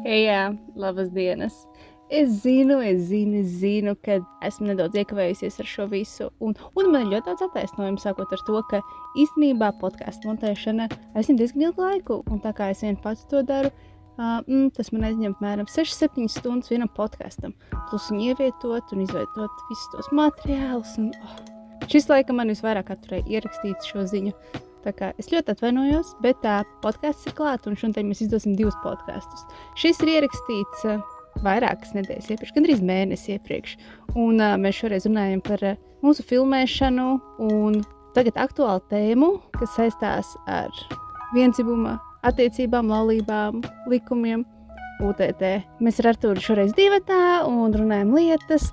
Jā, labas dienas. Es zinu, ka esmu nedaudz iekavējusies ar šo visu. Un man ir ļoti daudz attaisnojumu, sākot ar to, ka īstenībā podkāstu montēšana aizņem diezgan ilgu laiku. Un tā kā es vien pats to daru, tas man aizņem apmēram 6-7 stundas vienam podkāstam. Plus viņu ievietot un izveidot visus tos materiālus. Un, šis laikam man visvairāk atturēja ierakstīt šo ziņu. Tā kā es ļoti atvainojos, bet podkāsts ir klāt, un šodien mēs izdosim 2 podkāstus. Šis ir ierakstīts vairākas nedēļas iepriekš, gandrīz mēnesi iepriekš. Un mēs šoreiz runājam par mūsu filmēšanu un tagad aktuālu tēmu, kas saistās ar viendzimuma attiecībām, laulībām, likumiem, UTT. Mēs ar Artūru šoreiz divatā un runājam lietas,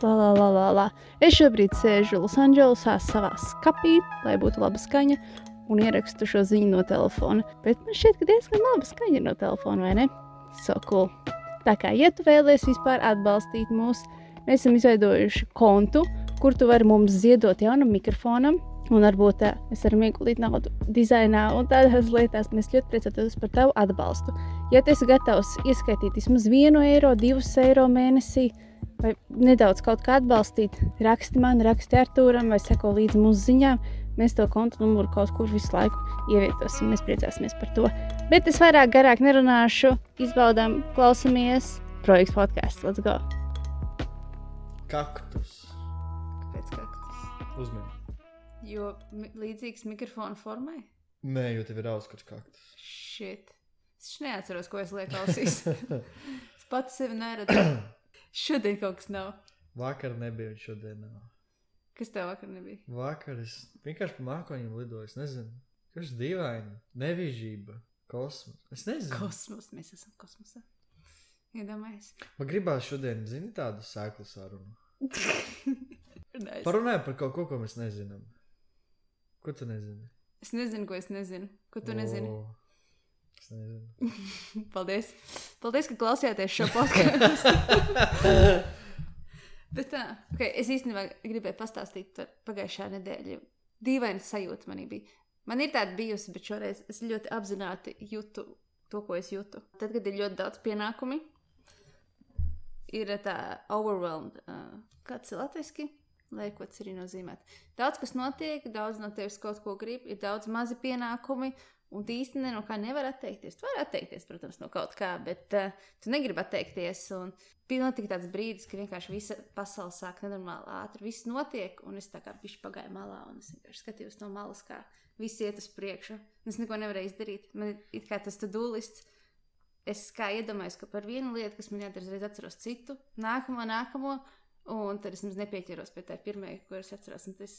Es šobrīd sēžu Losandželosā savā skapī, lai būtu laba skaņa. Un ierakstu šo ziņu no telefona. Bet man šķiet, ka diezgan laba skaņa no telefona, vai ne? So cool. Tā kā, ja tu vēlies vispār atbalstīt mūs, mēs esam izveidojuši kontu, kur tu vari mums ziedot jaunam mikrofonam, un varbūt mēs varam ieguldīt naudu dizainā un tādās lietās. Mēs ļoti priecātos par tavu atbalstu. Ja tu esi gatavs ieskaitīt vismaz 1 eiro, 2 eiro mēnesī, vai nedaudz kaut kā atbalstīt, raksti man, raksti Artūram vai seko līdzi mūsu ziņām. Mēs to kontu numuru kaut kur visu laiku ievietosim. Mēs priecāsimies par to. Bet es vairāk garāk nerunāšu. Izbaudām, klausamies. Projekts podcasts. Let's go. Kaktus. Kāpēc kaktus? Uzmini. Jo līdzīgs mikrofona formai? Nē, jo tev ir auskots kaktus. Shit. Es neatceros, ko es lieku ausīs. Es pati sevi neredzu. Šodien kaut kas nav. Vakar nebija un šodien nav. Kas tev vakar nebija? Vakar es vienkārši pa mākoņiem lidoju, es nezinu. Kas dīvaini? Nevižība. Kosmos. Es nezinu. Kosmos. Mēs esam kosmosā. Iedomājies. Man gribās šodien, zini, tādu sēklu sarunu. Nice. Parunājam par kaut ko mēs nezinām. Ko tu nezini? Es nezinu, ko es nezinu. Ko tu nezini? Es nezinu. Paldies. Paldies, ka klausījāties šo podcastu. Bet okay, es īstenībā gribēju pastāstīt par pagājušā nedēļa. Dīvaina sajūta manī bija. Man ir tāda bijusi, bet šoreiz es ļoti apzināti jūtu to, ko es jūtu. Tad, kad ir ļoti daudz pienākumi, ir tā overwhelmed. Kāds ir latviski? Lai ko tas arī nozīmēt. Daudz, kas notiek, daudz no tevis kaut ko grib, ir daudz mazi pienākumi, un tu īsti no kā nevar atteikties. Tu vari atteikties, protams, no kaut kā, bet tu negribi atteikties. Un notika tāds brīdis, ka vienkārši visa pasaule sāk nenormāli ātri. Viss notiek, un es tā kā bišķi pagāju malā, un es vienkārši skatījos no malas, kā viss iet uz priekšu. Es neko nevarēju izdarīt. Man ir it kā tas to-do lists. Es kā iedomājos, ka par vienu lietu, kas man jādara, reiz atceros citu, nākamo, un tad es nepieķeros pie tā pirmajai, ko es atceros. Un tas,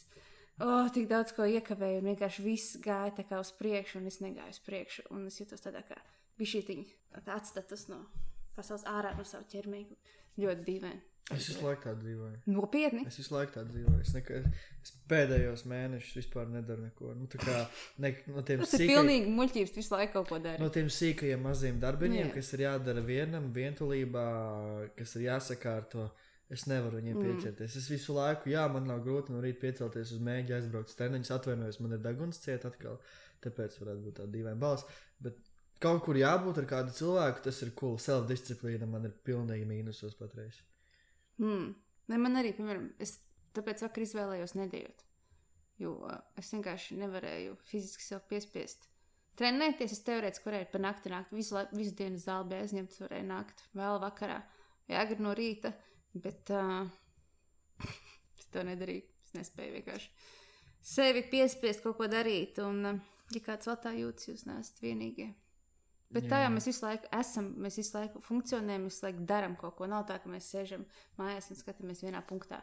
tik daudz ko iekavēju, un vienkārši viss gāja tā kā uz priekšu, un es negāju uz priekšu. Un es jūtos tādā kā bišķītiņi atstatus no pasaules ārā no savu ķermēju. Ļoti dīvaini. Es visu laiku tā dzīvoju. Nopietni? Es visu laiku tā dzīvoju. Es pēdējos mēnešus vispār nedaru neko. Nu, tā kā no tiem tas ir pilnīgi muļķības, visu laiku kaut ko dari. No tiem sīkajiem maziem darbiņiem, kas ir jādara vienam, vientulībā, kas ir jāsakārto, es nevaru viņiem pieķerties. Es visu laiku, man nav grūti no rīta piecelties uz mēģi, aizbraukt steneņus, atvainojos, man ir deguns ciet atkal, tāpēc varētu būt tā dīvaina balss, bet kaut kur jābūt ar kādu cilvēku, tas ir cool. Self-disciplīna man ir pilnīgi mīnusos patreiz. Ne, man arī, piemēram, es tāpēc vakar izvēlējos nedējot, jo es vienkārši nevarēju fiziski sev piespiest. Trenēties, es teorētiski varēju pa nakti nākt, visu dienu zāli bija aizņemts, varēju nākt vēl vakarā, agri no rīta, bet es to nedarīju, es nespēju vienkārši sevi piespiest kaut ko darīt, un ja kāds vēl tā jūtas, jūs neesat vienīgie. Bet tā jau mēs visu laiku esam, mēs visu laiku funkcionējam, visu laiku daram kaut ko. Nav tā, ka mēs sēžam mājās un skatāmies vienā punktā.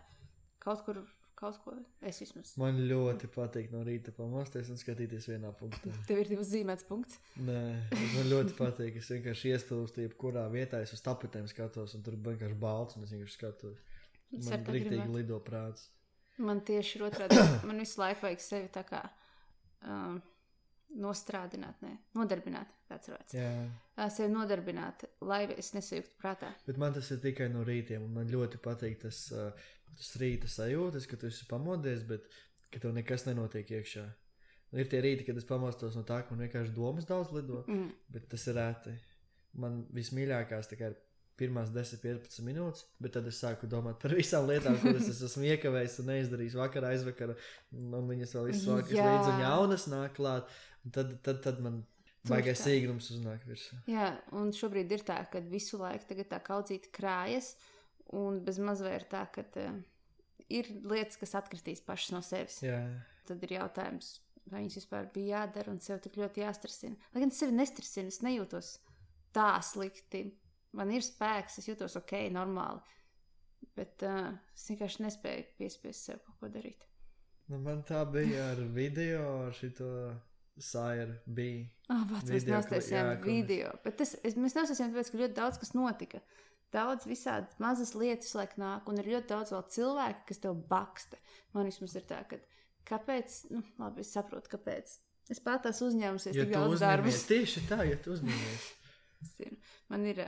Kaut ko, es vismaz. Man ļoti patīk no rīta pamosties un skatīties vienā punktā. Tev ir uzzīmēts punkts? Nē, man ļoti patīk. Es vienkārši iespilstu jebkurā vietā, es uz tapetēm skatos un tur vienkārši balts un es vienkārši skatos. Man riktīgi lido prāts. Man tieši ir otrādi. Man visu laiku vajag sevi tā kā... nodarbināt, tāds vārds. Sevi nodarbināt, lai es nesajūgtu prātā. Bet man tas ir tikai no rītiem, un man ļoti patīk tas rīta sajūtas, ka tu esi pamodies, bet ka tev nekas nenotiek iekšā. Ir tie rīti, kad es pamostos no tā, ka man vienkārši domas daudz lido, bet tas ir rēti. man vismīļākās tā kā ir pirmās 10-15 minūtes, bet tad es sāku domāt par visām lietām, kuras es esmu iekavējis un neizdarījis vakarā, aizvakarā, un viņas vēl visu laiku līdz un jaunas nāk klāt, un tad man baigais sīgnums uznāk virsū. Jā, un šobrīd ir tā, ka visu laiku tagad tā kaudzīta krājas, un bez mazvai ir tā, ka ir lietas, kas atkritīs pašas no sevis. Jā. Tad ir jautājums, vai viņas vispār bija jādara un sev tik ļoti jāstresina. Lai gan es sevi nestresinu, es nejūtos tā slikti. Man ir spēks, es jūtos ok, normāli, bet es vienkārši nespēju piespiest sev kaut ko darīt. Nu, man tā bija ar video, ar šito Sairu bija. Mēs neuztaisījām video, bet mēs neuztaisījām tāpēc, ka ļoti daudz kas notika. Daudz visādi mazas lietas laik nāk, un ir ļoti daudz vēl cilvēki, kas tev baksta. Man vismaz ir tā, ka kāpēc, labi, es saprotu, kāpēc. Es pat tās uzņēmusies tik daudz darbus. Tieši tā, ja tu uzņēmies. Man ir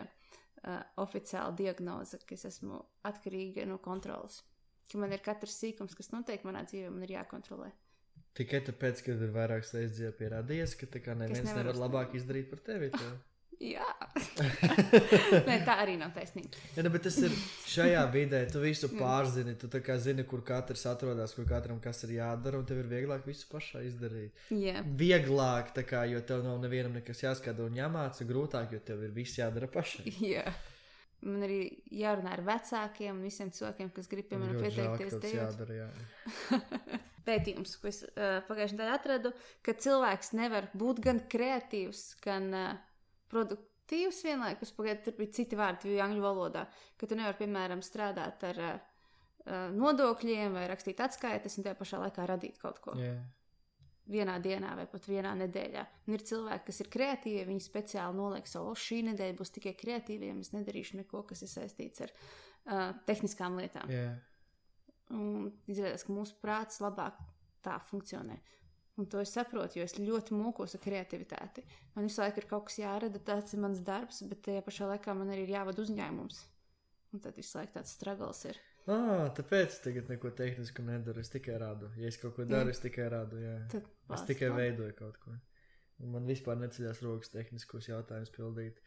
oficiāla diagnoze, ka es esmu atkarīga no kontrolas. Ka man ir katrs sīkums, kas notiek manā dzīvē, man ir jākontrolē. Tikai tāpēc, ka ir vairākas reizes dzīvē pierādījies, ka tā kā neviens nevar labāk izdarīt par tevi. Jā. Nē, tā arī nav taisnība. Ja, bet tas ir šajā vidē, tu visu pārzini, tu tā kā zini, kur katrs atrodas, kur katram kas ir jādara, un tev ir vieglāk visu pašā izdarīt. Yeah. Vieglāk, tā kā, jo tev nav nevienam nekas jāskata un jāmāca, grūtāk, jo tev ir viss jādara pašai. Jā. Man arī jārunā ar vecākiem un visiem cilvēkiem, kas grib, piemēram, pieteikties tev. Jādara, jā. Pētījums, ko es pagājušajā nedēļā atradu, ka cilvēks nevar būt gan kreatīvs, gan produktīvs vienlaikus. Pagaidā tur bija citi vārdi angļu valodā, ka tu nevar, piemēram, strādāt ar nodokļiem vai rakstīt atskaites un tajā pašā laikā radīt kaut ko. Yeah. Vienā dienā vai pat vienā nedēļā. Un ir cilvēki, kas ir kreatīvi, viņi speciāli noliek savu, šī nedēļa būs tikai kreatīviem, es nedarīšu neko, kas ir saistīts ar tehniskām lietām. Yeah. Un izrādās, ka mūsu prāts labāk tā funkcionē. Un to es saprotu, jo es ļoti mūkos ar kreativitāti. Man visu laiku ir kaut kas jārada, tāds ir mans darbs, bet tajā pašā laikā man arī ir jāvada uzņēmums. Un tad visu laiku tāds struggles ir. Tāpēc es tagad neko tehnisku nedaru, es tikai rādu. Ja es kaut ko daru, es tikai rādu, jā. Es tikai veidoju kaut ko. Un man vispār neceļās rokas tehniskos jautājumus pildīt.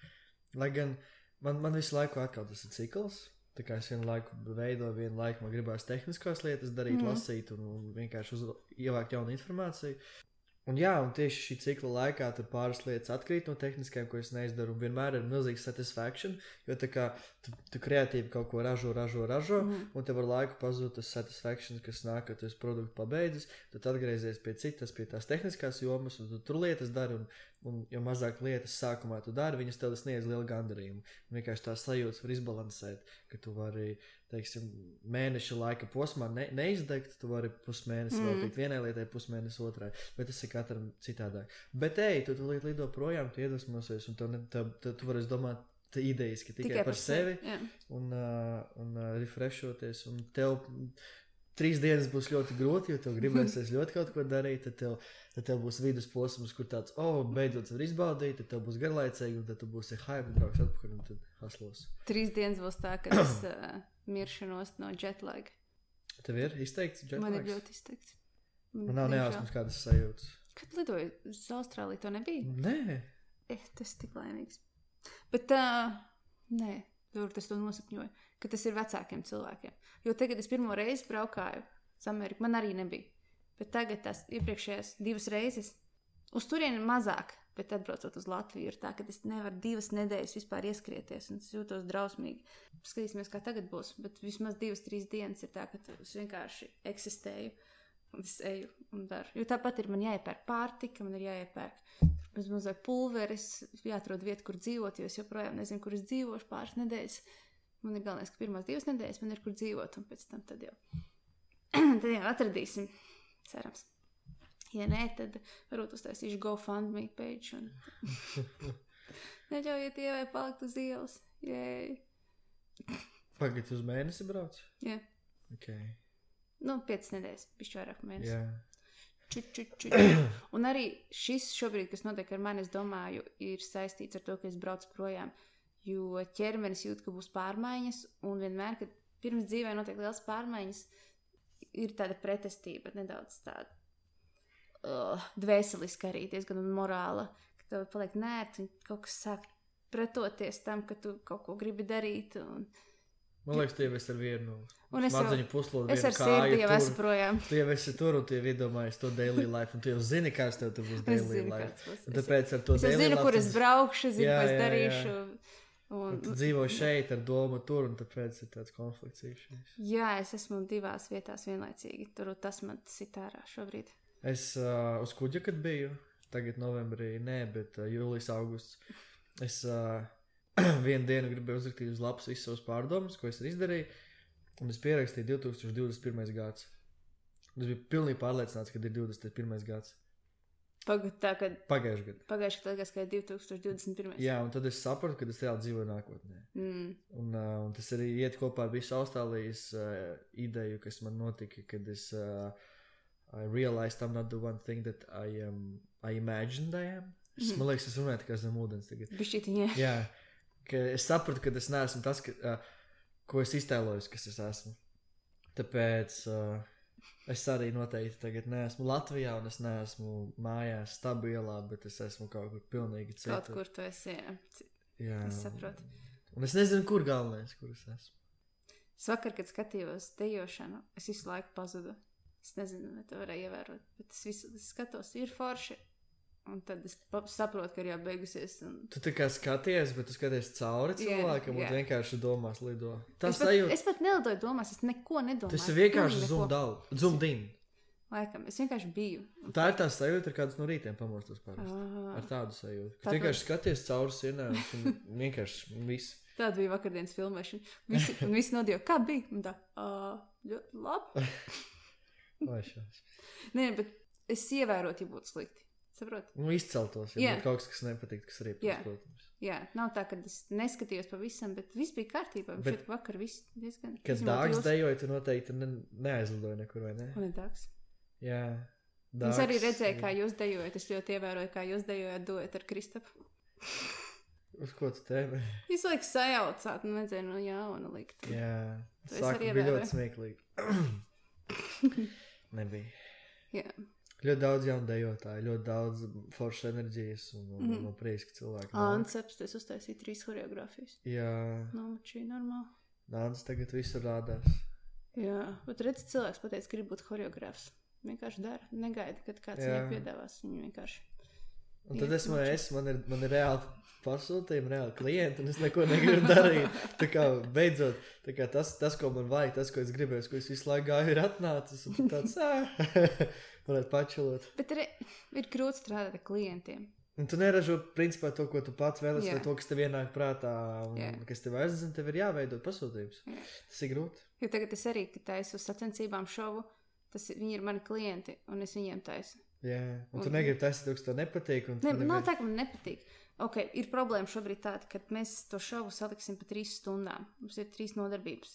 Lai gan man visu laiku atkal tas ir cikls. Tā kā es vienu laiku veidoju, vienu laiku man gribās tehniskās lietas darīt, lasīt un vienkārši ievākt jaunu informāciju. Un jā, un tieši šī cikla laikā tur pāris lietas atkrīt no tehniskajām, ko es neizdaru, un vienmēr ir milzīgs satisfaction, jo tā kā tu kreatīvi kaut ko ražo, un tev ar laiku pazūd tas satisfaction, kas nāk, kad tu esi produktu pabeidzis, tad atgriezies pie citas, pie tās tehniskās jomas, un tu tur lietas dari, un jo mazāk lietas sākumā tu dari, viņas tev sniedz lielu gandarījumu. Un vienkārši tās sajūtas var izbalansēt, ka tu vari, teiksim, mēneša laika posmā neizdegt, tu vari pusmēnesi veltīt vienai lietai, pusmēnesi otrai, bet tas ir katram citādāk. Bet tu lido projām, tu iedvesmosies, un tu vari domāt idejiski tikai par sevi un refreshoties, un tev 3 dienas būs ļoti grūti, jo tev gribēsies ļoti kaut ko darīt, tad tev būs vidus posms, kur tāds, beidzot var izbaudīt, tad tev būs garlaicīgi, un tad tu būsi hype, brauks atpakaļ, un tad haslos. 3 dienas būs tā, ka es miršanos no jetlag. Tev ir izteikts jetlags? Man ir ļoti izteikts. Man nav nejausmas kādas sajūtas. Kad lidoju uz Austrāliju, to nebija? Nē. Tas tik laimīgs. Bet nē, tas to nosapņoju, ka tas ir vecākiem cilvēkiem. Jo tagad es pirmo reizi braukāju uz Ameriku, man arī nebija. Bet tagad tās iepriekšējās 2 reizes, uz turieni mazāk, bet atbraucot uz Latviju ir tā, ka es nevaru 2 nedēļas vispār ieskrieties un es jūtos drausmīgi. Skatīsimies, kā tagad būs, bet vismaz 2-3 dienas ir tā, ka es vienkārši eksistēju un es eju un daru. Jo tāpat ir man jāiepērk pārtika, man ir jāiepērk mazliet pulveris, jāatrod vietu, kur dzīvot, jo es joprojām nezinu, kur es dzīvošu pāris nedēļas. Man ir galvenais, ka pirmās 2 nedēļas man ir kur dzīvot, un pēc tam tad jau atradīsim, cerams. Ja nē, tad varbūt uztaisīšu GoFundMe page un neļaujiet ievai palikt uz ielas. Jēj. Pagad uz mēnesi brauc? Jā. Okay. 5 nedēļas, bišķi vairāk mēnesi. Jā. Un arī šis šobrīd, kas notiek ar mani, es domāju, ir saistīts ar to, ka es braucu projām, jo ķermenis jūt, ka būs pārmaiņas, un vienmēr, kad pirms dzīvē notiek liels pārmaiņas, ir tāda pretestība, nedaudz tāda dvēseliska arī, diezgan morāla, ka tev paliek nērti, un kaut kas sāk pretoties tam, ka tu kaut ko gribi darīt. Man liekas, tu jau esi ar vienu smadzeņu puslodu, es ar sirdi jau esmu projām. Tu jau esi tur un tu jau iedomājies to daily life, un tu jau zini, kāds tev tur būs daily life. Un tāpēc ar to daily life... Es zinu, kur es braukšu, zinu, ko es darīšu. Un tu dzīvo šeit ar domu tur, un tāpēc ir tāds konflikts īšais. Jā, es esmu 2 vietās vienlaicīgi. Tur tas man sit ārā šobrīd. Es uz kuģa, kad biju, tagad novembrī, nē, bet jūlijas, augusts. Es vienu dienu gribēju uzrakstīt uz lapas visus savus pārdomus, ko es izdarīju, un es pierakstīju 2021. gads. Un es biju pilnīgi pārliecināts, ka ir 21. gads. Pagājuši gadu. Pagājuši gadu, ka ir 2021. Jā, un tad es sapratu, ka es reāli dzīvoju nākotnē. Un tas arī iet kopā ar visu Austrālijas ideju, kas man notika, kad es I realized I'm not the one thing that I imagined I am. Man liekas, es runāju tikai zem ūdens tagad. Bišķītiņā. Jā, ka es sapratu, ka es neesmu tas, ko es iztēlojos, kas es esmu. Tāpēc es arī noteikti tagad neesmu Latvijā un es neesmu mājās stabilā, bet es esmu kaut kur pilnīgi citur. Kaut kur tu esi, jā. Es saprotu. Un es nezinu, kur galvenais, kur es esmu. Es vakar, kad skatījos dejošanu, es visu laiku pazudu. Es nezinu, vai tu varēji ievērot, bet es visu skatos, ir forši. Un tad es saprotu, ka ir jau beigusies. Tu tā kā skaties, bet tu skaties cauri cilvēkam un vienkārši domās lido. Es pat nelidoju domās, es neko nedomāju. Tas ir vienkārši zoomed in. Laikam, es vienkārši biju. Tā ir tā sajūta, ar kādus no rītiem pamostos parasti. Ar tādu sajūtu. Ka vienkārši skaties cauri sienām un vienkārši viss. Tāda bija vakardienas filmēšana. Visi nodīja, kā bija? Un tā, ļoti labi. Nē, bet es ievērotu, ja būtu slikti. Saproti? Izceltos, ja būtu kaut kas nepatīk, kas arī protams. Jā, nav tā, ka es neskatījos pavisam, bet viss bija kārtībā. Bet šeit vakar viss diezgan... Kad Dāgs dejoja, tu noteikti neaizlidoja nekur, vai ne? Un ir Dāgs. Jā. Es arī redzēju, kā jūs dejojat. Es ļoti ievēroju, kā jūs dejojat duet ar Kristapu. Uz ko tu tēmē? Visu laiku sajaucāt, vajadzēja jaunu likt. Jā. Sāku bija ļoti smieklīgi. Nebija. Jā. Ļoti daudz jaunu dejotāju, ļoti daudz foršas enerģijas un prieks, ka cilvēki. Anceps, tu uztaisīji 3 choreogrāfijas. Jā. Nomačīja normāli. Nāc tagad visur rādās. Jā, bet redz, cilvēks pateica, ka grib būt choreogrāfs. Vienkārši dara. Negaida, kad kāds viņai piedāvās. Viņu vienkārši. Un tad man ir reāli pasūtījumi, reāli klienti, un es neko negribu darīt. Tā kā beidzot, tā kā tas, ko man vajag, tas, ko es gribēju, ko es visu laiku gāju, ir atnācis, un tāds, varētu pačilot. Bet ir grūti strādāt ar klientiem. Un tu neražo, principā, to, ko tu pats vēlies, vai to, kas tev ienāk prātā, un kas tev aizdzina, tev ir jāveidot pasūtījums. Tas ir grūti. Jo tagad es arī, kad taisu uz sacensībām šovu, viņi ir mani klienti, un es viņiem taisu. Jā, un tu negribi taisīt, kas tev nepatīk. Nav tā, ka man nepatīk. Ok, ir problēma šobrīd tāda, ka mēs to šovu saliksim pa 3 stundām. Mums ir 3 nodarbības.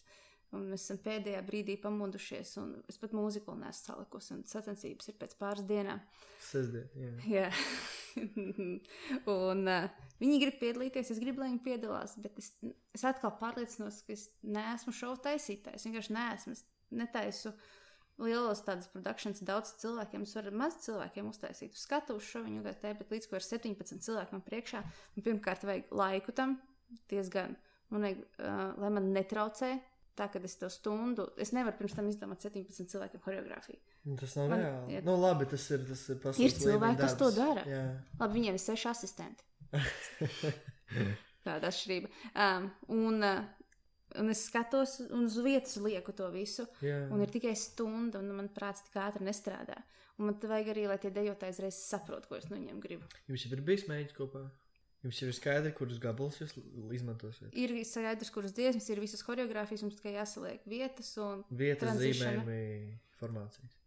Un mēs esam pēdējā brīdī pamodušies, un es pat mūziku neesmu salikusi, un sacensības ir pēc pāris dienām. Sestdien, jā. Un viņi grib piedalīties, es gribu, lai viņi piedalās, bet es atkal pārliecinos, ka es neesmu šovu taisītājs. Vienkārši neesmu. Es netaisu lielos tādas produkcijas daudz cilvēkiem, es varu maz cilvēkiem uztaisīt. Uz skatuves šo viņu gātē, bet līdz ko ir 17 cilvēki man priekšā, un pirmkārt vajag laiku tam, diezgan, man vajag, lai man netraucē, tā, kad es to stundu, es nevaru pirms tam izdomāt 17 cilvēkiem choreogrāfiju. Tas nav reāli. Nu labi, tas ir pasaules ir cilvēki, kas to dara. Jā. Labi, viņiem ir 6 asistenti. Tāda atšķirība. Un es skatos un uz vietas lieku to visu, un ir tikai stunda, un man prāts tik ātri nestrādā. Un man vajag arī, lai tie dejotāji reiz saprot, ko es no viņiem gribu. Jums jau ir bijis mēģis kopā? Jums jau ir skaidri, kurus gabalus jūs izmantosiet? Ir skaidrs, kuras dziesmas, ir visas choreogrāfijas, mums tikai jāsaliek vietas un vietas zīmējumi formācijas.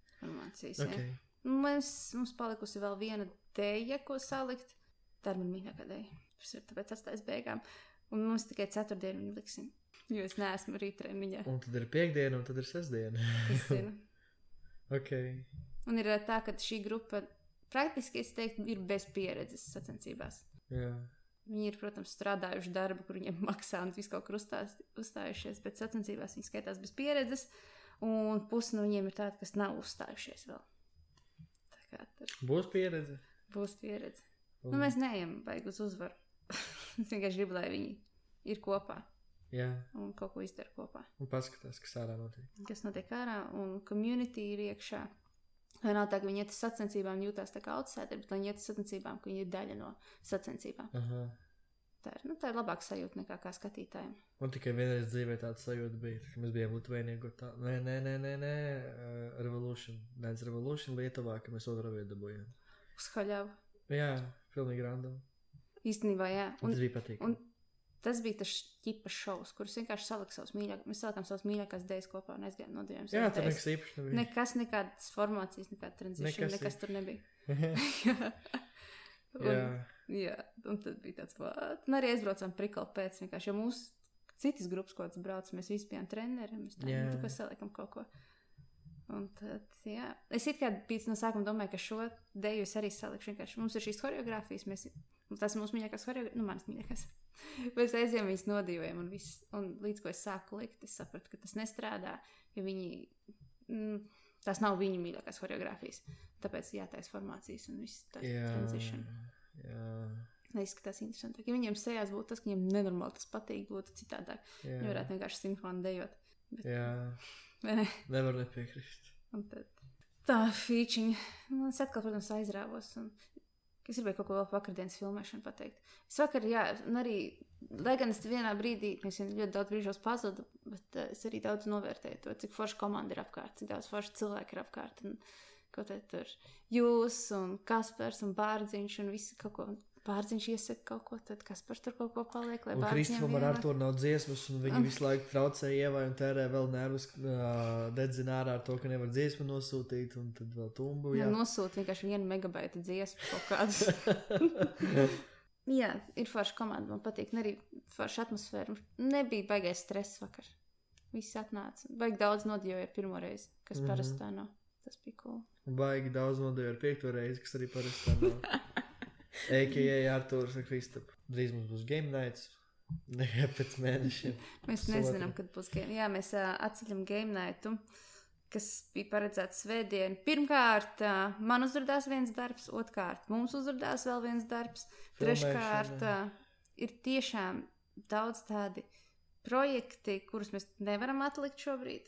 Okay. Mums palikusi vēl viena deja, ko salikt. Tā ir man mīļākā deja. Tas ir tāpēc atstājis beigām. Un mums tikai 4 dienu viņu liksim. Jo es neesmu rītrēmiņā. Un tad ir 5 diena, un tad ir 6 diena. Es zinu. Ok. Un ir tā, ka šī grupa praktiski, es teiktu, ir bez pieredzes sacensībās. Jā. Viņi ir, protams, strādājuši darbu, kur viņiem maksā un visu kaut kur uzstājušies, bet sacensībās viņi skaitās bez pieredzes, un pusi no viņiem ir tādi, kas nav uzstājušies vēl. Tā kā tur... Būs pieredze? Būs pieredze. Nu, mēs neejam baigi uz uzvaru. Es vienkārši gribu, lai viņi ir kopā. Jā. Un kaut ko izdara kopā. Un paskatās, kas ārā notiek. Kas notiek ārā, un community ir iekšā. Vai nav tā, ka viņi iet uz sacensībām un jūtās tā kā outsider, bet viņi iet uz sacensībām, ka viņi ir daļa no sacensībām. Aha. Tā ir labāka sajūta nekā kā skatītājiem. Man tikai vienreiz dzīvē tāda sajūta bija, kad mēs bijām Litvēnija. Nē, Revolution. Nēc Revolution Lietuvā, ka mēs otru vietu dabūjām. Uz haļavu. Jā, pilnīgi random. Īstenībā, jā. Tas bija patīkami. Un tas bija tas ķipas šovs, kurus vienkārši mēs salikām savas mīļākās dēļas kopā un aizgājām nodījām. Jā, tur nekas īpaši nebija. Nekas, nekādas formācijas, nekāda transition, nekas tur nebija. Jā, un tad bija tāds, un arī aizbraucām prikali pēc vienkārši, jo mūsu citas grupas, ko tas brauc, mēs visi bijām treneri, mēs tā saliekam kaut ko. Un tad, jā, es it kā pēc no sākuma domāju, ka šo deju es arī salikšu vienkārši. Mums ir šīs choreogrāfijas, tas ir mūsu mīļākās choreogrāfijas, manas mīļākās. Mēs aizjām viņas nodījojam un līdz ko es sāku likt, es sapratu, ka tas nestrādā, jo tās nav viņu mīļākās choreogrāfijas. Tāpēc jātais formācijas un viss tā transition. Jā. Neizskatās interesantāk. Ja viņiem sejās būtu tas, ka viņiem nenormāli tas patīk, būtu citādāk. Viņi varētu vienkārši sinhroni dejot. Bet, jā. Nevar nepiekrist. Un tad tā fīčiņa. Es atkal, protams, aizrāvos. Es gribēju kaut ko vēl vakardienas filmēšanu pateikt. Es vakar, jā, un arī, lai gan es vienā brīdī, es ļoti daudz brīžos pazudu, bet es arī daudz novērtēju to, cik forša komanda ir apkārt, cik daudz forša cilvēki ir apkārt. Un, ko te tur jūs un Kaspars un Bārdziņš un visi kaut ko. Bārdziņš iesaka kaut ko, tad Kaspars tur kaut ko paliek, lai Bārdziņam Kristofam ar Arturu nav dziesmas, un viņi visu laiku traucē Ievai un tērē vēl nervus, dedzina ārā ar to, ka nevar dziesmu nosūtīt, un tad vēl tumbu. Jā, nosūt vienkārši 1 megabaita dziesmu kaut kādus. Jā, ir forša komanda, man patīk, un arī forša atmosfēra. Nebija baigais stress vakar. Visi atnāca. Baigi daudz nodījoja pirmo reizi, kas parasti tā nav. Tas bija cool. Baigi daudz nodījoja ar 5. reizi, kas arī parasti tā nav. A.K.A. Artūrs un Kristaps. Drīz mums būs game nights. Nekā pēc mēnešiem. Mēs nezinām, kad būs game. Jā, mēs atceļam game nightu, kas bija paredzēts svētdien. Pirmkārt, man uzrādās viens darbs, otrkārt, mums uzrādās vēl viens darbs. Treškārt, ir tiešām daudz tādi projekti, kurus mēs nevaram atlikt šobrīd,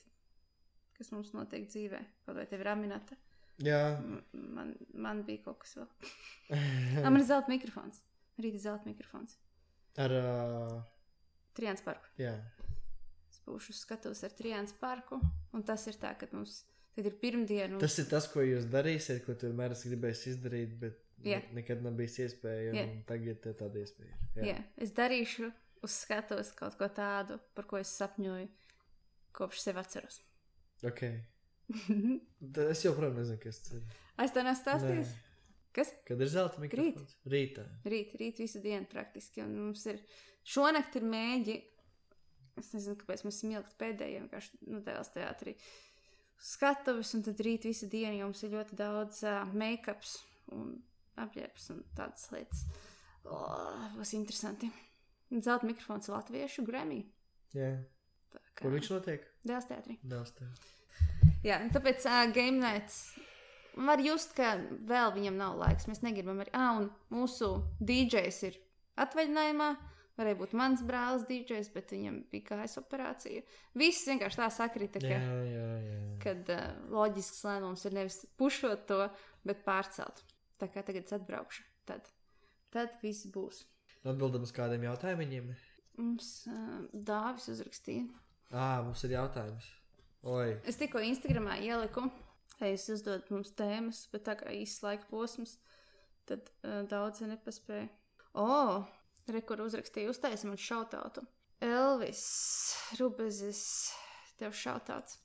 kas mums notiek dzīvē. Kaut vai tev ir Aminata. Jā. Man bija kaut kas vēl. Man ir zelta mikrofons. Rīta zelta mikrofons. Ar Trijāns parku. Jā. Es būšu skatos ar Trijāns parku. Un tas ir tā, ka mums tad ir pirmdiena. Tas ir tas, ko jūs darīsiet, ko tu vienmēr esi gribējis izdarīt, bet nekad nav bijis iespēja. Un tagad tev tāda iespēja ir. Jā. Es darīšu uz skatos kaut ko tādu, par ko es sapņoju, kopš sevi atceros. Ok. Es joprojām nezinu, kas tas ir. Es tev nestāstījis? Kas? Kad ir zelta mikrofons? Rītā. Rīt visu dienu praktiski. Un mums ir, šonakt ir mēģi, es nezinu, kāpēc mēs esam ilgt pēdējie, vienkārši, tēls teātrī skatuves, un tad rīt visu dienu jums ir ļoti daudz make-ups un apģērbs un tādas lietas. Būs interesanti. Zelta mikrofons latviešu Grammy. Jā. Kur viņš notiek? Dēls teātrī. Jā, tāpēc game nights var just, ka vēl viņam nav laiks. Mēs negribam arī. Un mūsu DJs ir atvaļinājumā. Varēja būt mans brālis DJs, bet viņam bija kājas operācija. Viss vienkārši tā sakrita, kad loģisks lēmums ir nevis pušot to, bet pārcelt. Tā kā tagad es atbraukšu. Tad viss būs. Atbildam uz kādiem jautājumiem? Mums Dāvis uzrakstīja. Mums ir jautājums. Oi. Es tikko Instagramā ieliku, lai jūs uzdodat mums tēmas, bet tā kā īsts laika posms, tad daudz nepaspēja. Rekur uzrakstīja, uztaisi man šautautu. Elvis Rubezis, tev šautauts.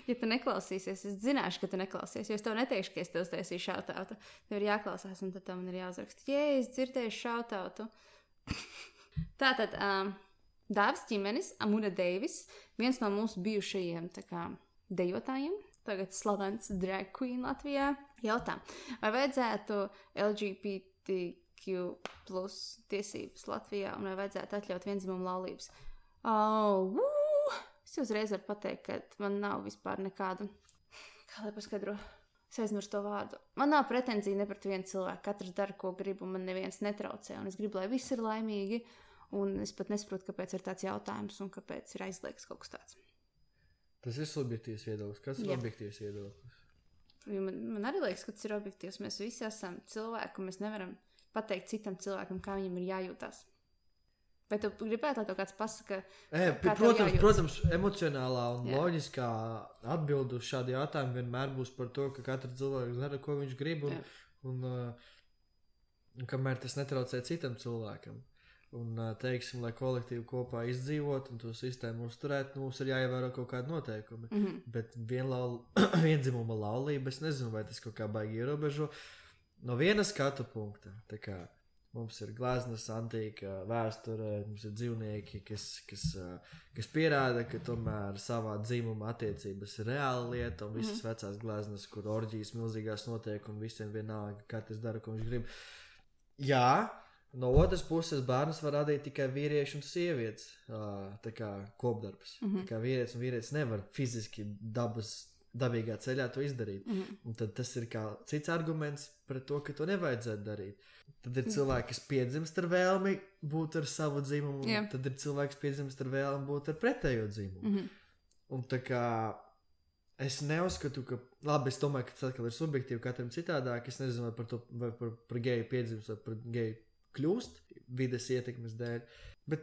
Ja tu neklausīsies, es zināšu, ka tu neklausies, jo es tev neteikšu, ka es tev uztaisīju šautautu. Tev ir jāklausās, un tad man ir jāuzraksta. Es dzirdēju šautautu. Tātad, Dāvis ķimenis, Amuna Deivis, viens no mūsu bijušajiem dejotājiem, tagad slavens drag queen Latvijā, jautā, vai vajadzētu LGBTQ plus tiesības Latvijā un vai vajadzētu atļaut viendzimumu laulības? Es uzreiz varu pateikt, ka man nav vispār nekādu, kā lai paskaidro, Es aizmirstu to vārdu. Man nav pretenzija ne pret vienu cilvēku. Katrs dara, ko grib, un man neviens netraucē. Un es gribu, lai viss ir laimīgi. Un es pat nesaprotu, kāpēc ir tāds jautājums un kāpēc ir aizliegts kaut kas tāds. Tas ir subjektīvs viedoklis. Kas ir objektīvs viedoklis? Man arī liekas, ka tas ir objektīvs. Mēs visi esam cilvēki, un mēs nevaram pateikt citam cilvēkam, kā viņam ir jājūtās. Vai tu gribētu, lai tev kāds pasaka, protams, emocionālā un loģiskā atbilde uz šādu jautājumu vienmēr būs par to, ka katrs cilvēks dara, ko viņš grib, un kamēr tas netraucē citam cilvēkam. Un, teiksim, lai kolektīvi kopā izdzīvot un to sistēmu uzturēt, mums ir jāievēro kaut kādi noteikumi. Bet viendzimuma laulība, es nezinu, vai tas kaut kā baigi ierobežo. No viena skatu punkta, tā kā mums ir gleznas, antīka vēsture, mums ir dzīvnieki, kas pierāda, ka tomēr savā dzimuma attiecības ir reāla lieta, un visas vecās gleznas, kur orģijas milzīgās notiek, un visiem vienalga, katrs dara, ko viņš grib. Jā, no otras puses bērnus var radīt tikai vīrieši un sievietes, tā kā kopdarbs. Tā kā vīrietis un vīrietis nevar fiziski dabīgā ceļā to izdarīt. Un tad tas ir kā cits arguments pret to, ka to nevajadzētu darīt. Tad ir cilvēki, kas piedzimst ar vēlmi būt ar savu dzimumu, tad ir cilvēks, kas piedzimst ar vēlmi būt ar pretējo dzimumu. Un tā kā es neuzskatu, ka, labi, es domāju, ka tas atkal ir subjektīvi, katram citādāk, es nezinu, vai par geju piedzimst vai par geju kļūst vides ietekmes dēļ, bet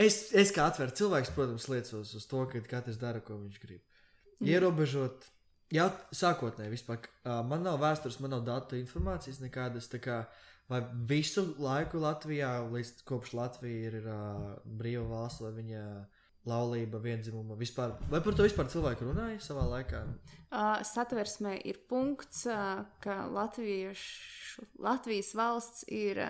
es kā atvērts cilvēks, protams, liecos uz to, ka katrs dara, ko viņš grib. Ierobežot, sākotnēji vispār, man nav vēstures, man nav datu informācijas nekādas, tā kā, vai visu laiku Latvijā, līdz kopš Latvija ir brīva valsts, vai viņa laulība, viendzimuma, vispār, vai par to vispār cilvēki runāja savā laikā? Satversmē ir punkts, ka Latvijas valsts ir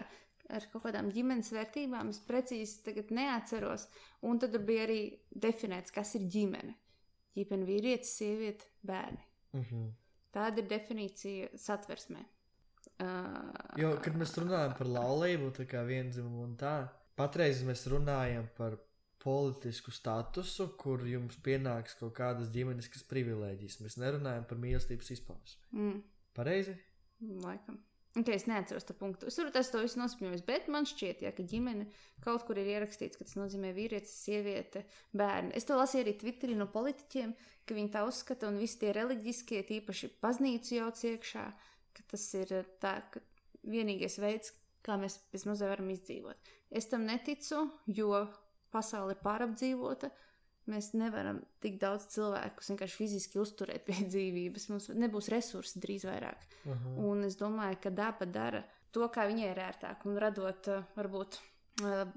ar kaut kādām ģimenes vērtībām, es precīzi tagad neatceros, un tad bija arī definēts, kas ir ģimene. Ģimene vīrietis, sieviete, bērni. Tāda ir definīcija satversmē. Jo, kad mēs runājam par laulību, tā kā viendzimumu un tā, patreiz mēs runājam par politisku statusu, kur jums pienāks kaut kādas ģimeniskas privilēģijas. Mēs nerunājam par mīlestības izpausmi. Pareizi? Laikam. Okay, es neatceros to punktu. Es varu to visu nospņojis, bet man šķiet, ka ģimene kaut kur ir ierakstīts, ka tas nozīmē vīrietis, sieviete, bērni. Es to lasīju arī Twitterī no politiķiem, ka viņi tā uzskata, un visi tie reliģiskie, tīpaši baznīcu jauc iekšā, ka tas ir tā, ka vienīgais veids, kā mēs bezmazliet varam izdzīvot. Es tam neticu, jo pasaule ir pārapdzīvota. Mēs nevaram tik daudz cilvēkus vienkārši fiziski uzturēt pie dzīvības. Mums nebūs resursi drīz vairāk. Un es domāju, ka daba dara to, kā viņai ir ērtāk, un radot varbūt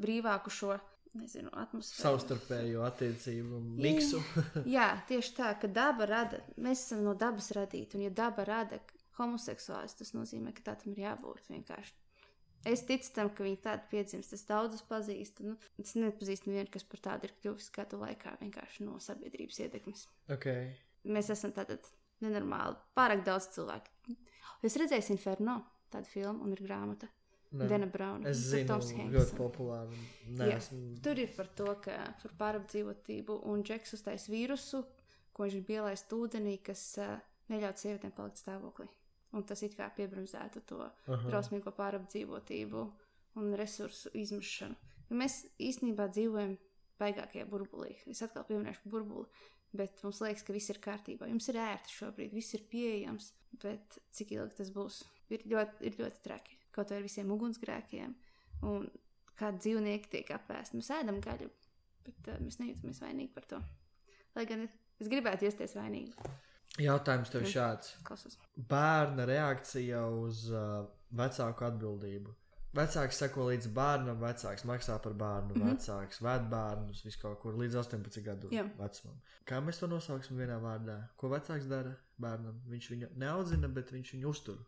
brīvāku šo, nezinu, atmosfēru. Savstarpējo attiecību miksu. Jā, tieši tā, ka daba rada, mēs esam no dabas radīti, un ja daba rada homoseksuālis, tas nozīmē, ka tā tam ir jābūt vienkārši. Es ticu tam, ka viņi tādu piedzimst. Es daudzus pazīstu. Es nepazīstu nevienu, kas par tādu ir kļuvis gadu laikā vienkārši no sabiedrības ietekmes. Okay. Mēs esam tātad nenormāli. Pārāk daudz cilvēku. Es redzēju Inferno, tādu filmu, un ir grāmata. Dana Brauna. Es zinu, ļoti populāri. Tur ir par to, ka par pārapdzīvotību, un Džeks uztais vīrusu, ko viņš ir ielaist ūdenī, kas neļaut sievietēm palikt stāvoklī. Un tas it kā piebremzētu to drausmīgo pārapdzīvotību un resursu izmešanu. Jo mēs īstenībā dzīvojam baigākajā burbulī. Es atkal pieminēšu burbuli, bet mums liekas, ka viss ir kārtībā. Jums ir ērti šobrīd, viss ir pieejams, bet cik ilgi tas būs, ir ļoti traki. Kaut vai ar visiem ugunsgrēkiem un kādi dzīvnieki tiek apēsti. Mēs ēdam gaļu, bet mēs nejūtamies vainīgi par to. Lai gan es gribētu justies vainīgi. Jautājums tev šāds. Klausos. Bērna reakcija uz vecāku atbildību. Vecāks seko līdz bērnam, vecāks maksā par bērnu, vecāks ved bērnus, visu kaut kur līdz 18 gadu vecumam. Kā mēs to nosauksim vienā vārdā? Ko vecāks dara bērnam? Viņš viņu neaudzina, bet viņš viņu uztur.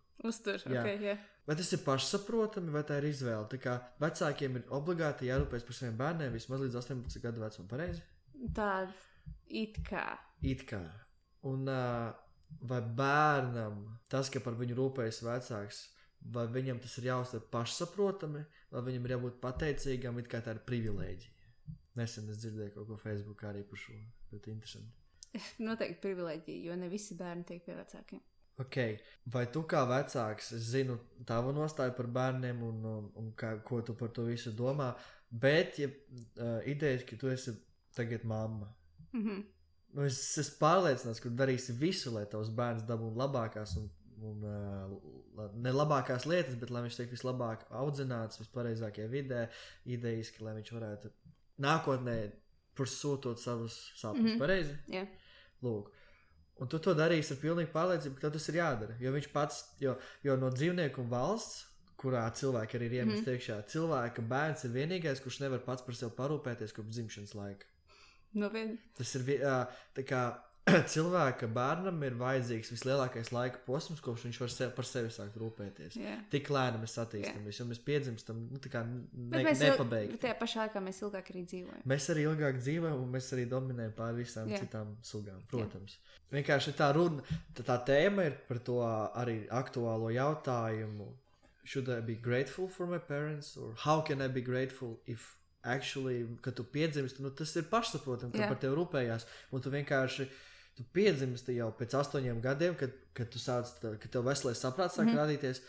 Jā. Vai tas ir pašsaprotami, vai tā ir izvēle? Tā kā vecākiem ir obligāti jārūpēs par saviem bērniem vismaz līdz 18 gadu vecumam, pareizi? Tāda it kā. Un vai bērnam tas, ka par viņu rūpējas vecāks, vai viņam tas ir jāuztver pašsaprotami, vai viņam ir jābūt pateicīgam, it kā tā ir privilēģija? Nesen es dzirdēju kaut ko Facebookā arī par šo, bet interesanti. Noteikti privilēģija, jo ne visi bērni tiek pie vecākiem. Okay. Vai tu kā vecāks, es zinu tavu nostāju par bērniem un ko tu par to visu domā, bet idejas, ka tu esi tagad mamma. Es esmu pārliecināts, ka darīsi visu, lai tavs bērns dabūtu labākās un ne labākās lietas, bet lai viņš tiek vislabāk audzināts, vispareizākajā vidē, idejiski, lai viņš varētu nākotnē pursūtot savus sapņus. Pareizi? Jā. Lūk. Un tu to darīsi ar pilnīgu pārliecību, ka tas ir jādara. Jo viņš pats, jo no dzīvnieku un valsts, kurā cilvēki arī ir iemest iekšā, cilvēka bērns ir vienīgais, kurš nevar pats par sevi parūpēties kopš dzimšanas laika. Nopietni. Tas ir tā kā cilvēka bērnam ir vajadzīgs vislielākais laika posms, kopš viņš var par sevi sākt rūpēties. Yeah. Tik lēni mēs attīstamies, jo mēs piedzimstam mēs nepabeigti. Tajā pašā laikā mēs ilgāk arī dzīvojam. Mēs arī ilgāk dzīvojam un mēs arī dominējam pār visām citām sugām, protams. Vienkārši tā runa, tā tēma ir par to arī aktuālo jautājumu. Should I be grateful for my parents? Or how can I be grateful if actually, kad tu piedzimsti, tas ir pašsaprotam, ka par tevi rūpējās. Un tu vienkārši tu piedzimsti jau pēc 8 gadiem, kad tu sāc, kad tev veselais saprāts sāk rādīties,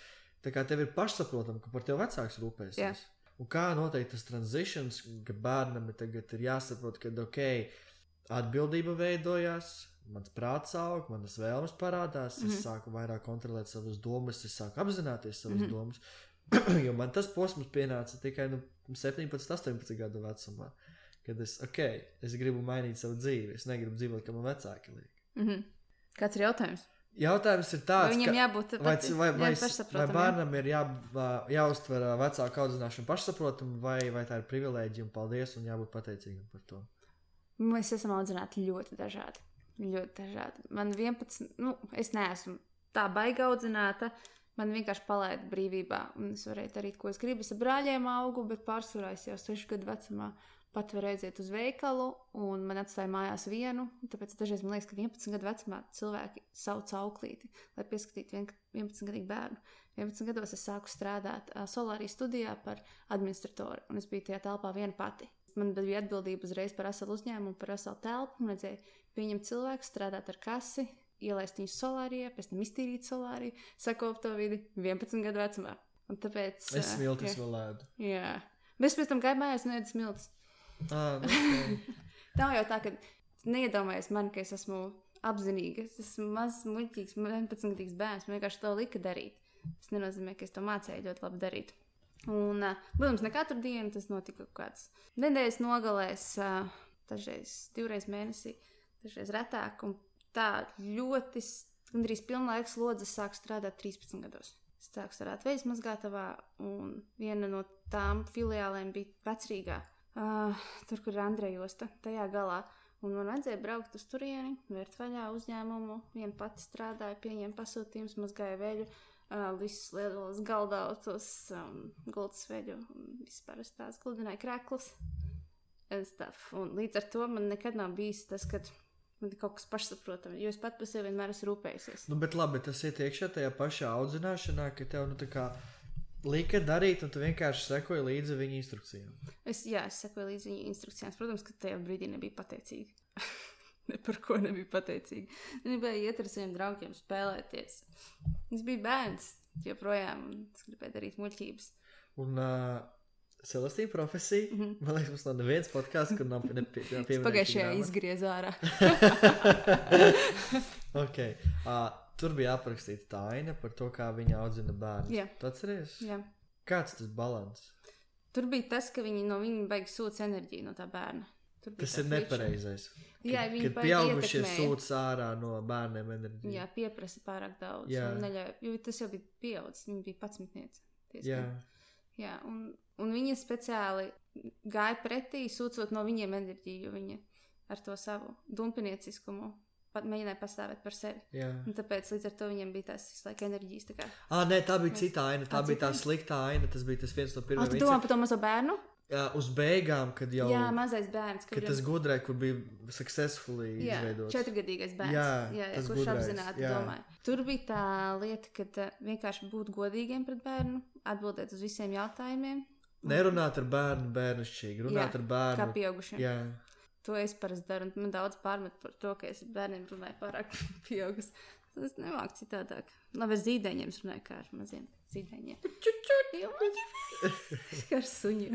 tā kā tev ir pašsaprotam, ka par tev vecāks rūpēsies. Un kā noteikti tas transitions, ka bērnam tagad ir jāsaprot, ka atbildība veidojās, mans prāts aug, manas vēlmes parādās, es sāku vairāk kontrolēt savas domas, es sāku apzināties savas domas, jo man tas posms pienāca tikai 17, 18 gadu vecumā. Kad es gribu mainīt savu dzīvi. Es negribu dzīvot, kā man vecāki liek. Kāds ir jautājums? Jautājums ir tāds, vai viņam jābūt vai bērnam ir jāuztver vecāku audzināšanu pašsaprotamu, vai tā ir privilēģija un paldies un jābūt pateicīgam par to? Mēs esam audzināti ļoti dažādi. Ļoti dažādi. Man 11, es neesmu tā baigi audzināta. Man vienkārši palaida brīvībā. Un es varēju darīt, ko es gribu. Es ar brāļiem augu, bet pārsvarā es jau 6 gadu vecumā pat var aiziet uz veikalu, un man atstāja mājās vienu, tāpēc dažreiz man liekas, ka 11 gadu vecumā cilvēki sauc auklīti, lai pieskatītu 11-gadīgu bērnu. 11 gados es sāku strādāt Solārī studijā par administratoru, un es biju tajā telpā viena pati. Man bija atbildība uzreiz par veselu uzņēmumu, par veselu telpu, un redzēju, pieņemt cilvēku, strādāt ar kasi, ielaist viņus Solārijā, pēc tam iztīrīt Solāriju, sakopt to vidi 11 gadu vecumā. Un tāpēc... Es smiltis vēl ēdu. Jā. Bet es pēc tam gāju mājās un ēdu smiltis. Tā jau tā, ka neiedomājies man, ka es esmu apzinīga. Es esmu mazs, muļķīgs, 11-gadīgs bērns. Man vienkārši to lika darīt. Tas nenozīmē, ka es to mācēju ļoti labi darīt. Un, protams, ne katru dienu tas notika kāds nedēļas nogalēs, dažreiz 2 reizes mēnesī, dažreiz retāk. Un tā ļoti, gandrīz pilnlaiks lodzes sāku strādāt 13 gados. Es sāku strādāt veids mazgātavā, un viena no tām filiālēm bija Vecrīgā. Tur, kur ir Andreja osta, tajā galā. Un man vajadzēja braukt uz turieni, vērt vaļā uzņēmumu. Viena pati strādāja, pieņēma pasūtījumus, mazgāja veļu, visus lielos galdautus, gultas veļu, vispār tās gludināja krēklus. Un līdz ar to man nekad nav bijis tas, kad man ir kaut kas pašsaprotami, jo es pat par sevi vienmēr esmu rūpējusies. Bet labi, tas iet iekšā tajā pašā audzināšanā, ka tev tā kā lika darīt, un tu vienkārši sekoji līdzi viņa instrukcijām. Es sekoju līdzi viņa instrukcijām. Protams, ka tajā brīdī nebija pateicīga. Ne par ko nebija pateicīga. Nebija iet ar saviem draugiem spēlēties. Es biju bērns joprojām, un es gribēju darīt muļķības. Un Celestīna profesija, man liekas, mums nav neviens podcasts, kur nav pieminēts. Pagājušajā izgriez ārā. Tur bija aprakstīta tā aina par to, kā viņa audzina bērnus. Jā. Tu atceries? Jā. Kāds tas balans? Tur bija tas, ka no viņa baigi sūc enerģiju no tā bērna. Tas ir nepareizais. Jā, kad pieaugušie sūc ārā no bērniem enerģiju. Jā, pieprasa pārāk daudz. Jo tas jau bija pieaudzis. Viņa bija 11. Jā, un viņa speciāli gāja pretī, sūcot no viņiem enerģiju, jo viņa ar to savu dumpinieciskumu mēģināja pastāvēt par sevi. Jā. Un tāpēc līdz ar to viņiem bija tās visu laiku enerģijas. Tā kā... Nē, tā bija cita aina. Tā bija tā sliktā aina. Tas bija tas viens no pirmajiem. Tu domā par to mazo bērnu? Jā, uz beigām, kad jau... Jā, mazais bērns. Kad tas gudrai, kur bija successfully izveidots. 4-gadīgais bērns. Jā, kurš gudrais, apzināti domāja. Tur bija tā lieta, kad vienkārši būt godīgiem pret bērnu, atbildēt uz visiem jautājumiem. Nerunāt ar bērnu bērnišķīgi, runāt ar bērnu. Kā pieaugušiem. Jā. To es parasti daru, un man daudz pārmet par to, ka es bērniem runāju pārāk pieaugus. Es nemāku citādāk. Labi, es zīdaiņiem runāju kā ar maziem zīdaiņiem. Kā ar suņiem.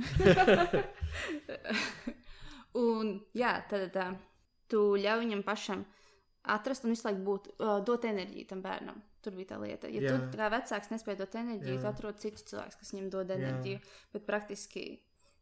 Un, jā, tad tu ļauj viņam pašam atrast un visu laiku dot enerģiju tam bērnam. Tur bija tā lieta. Ja tu kā vecāks nespēj dot enerģiju, tu atrod citu cilvēku, kas viņam dod enerģiju. Bet praktiski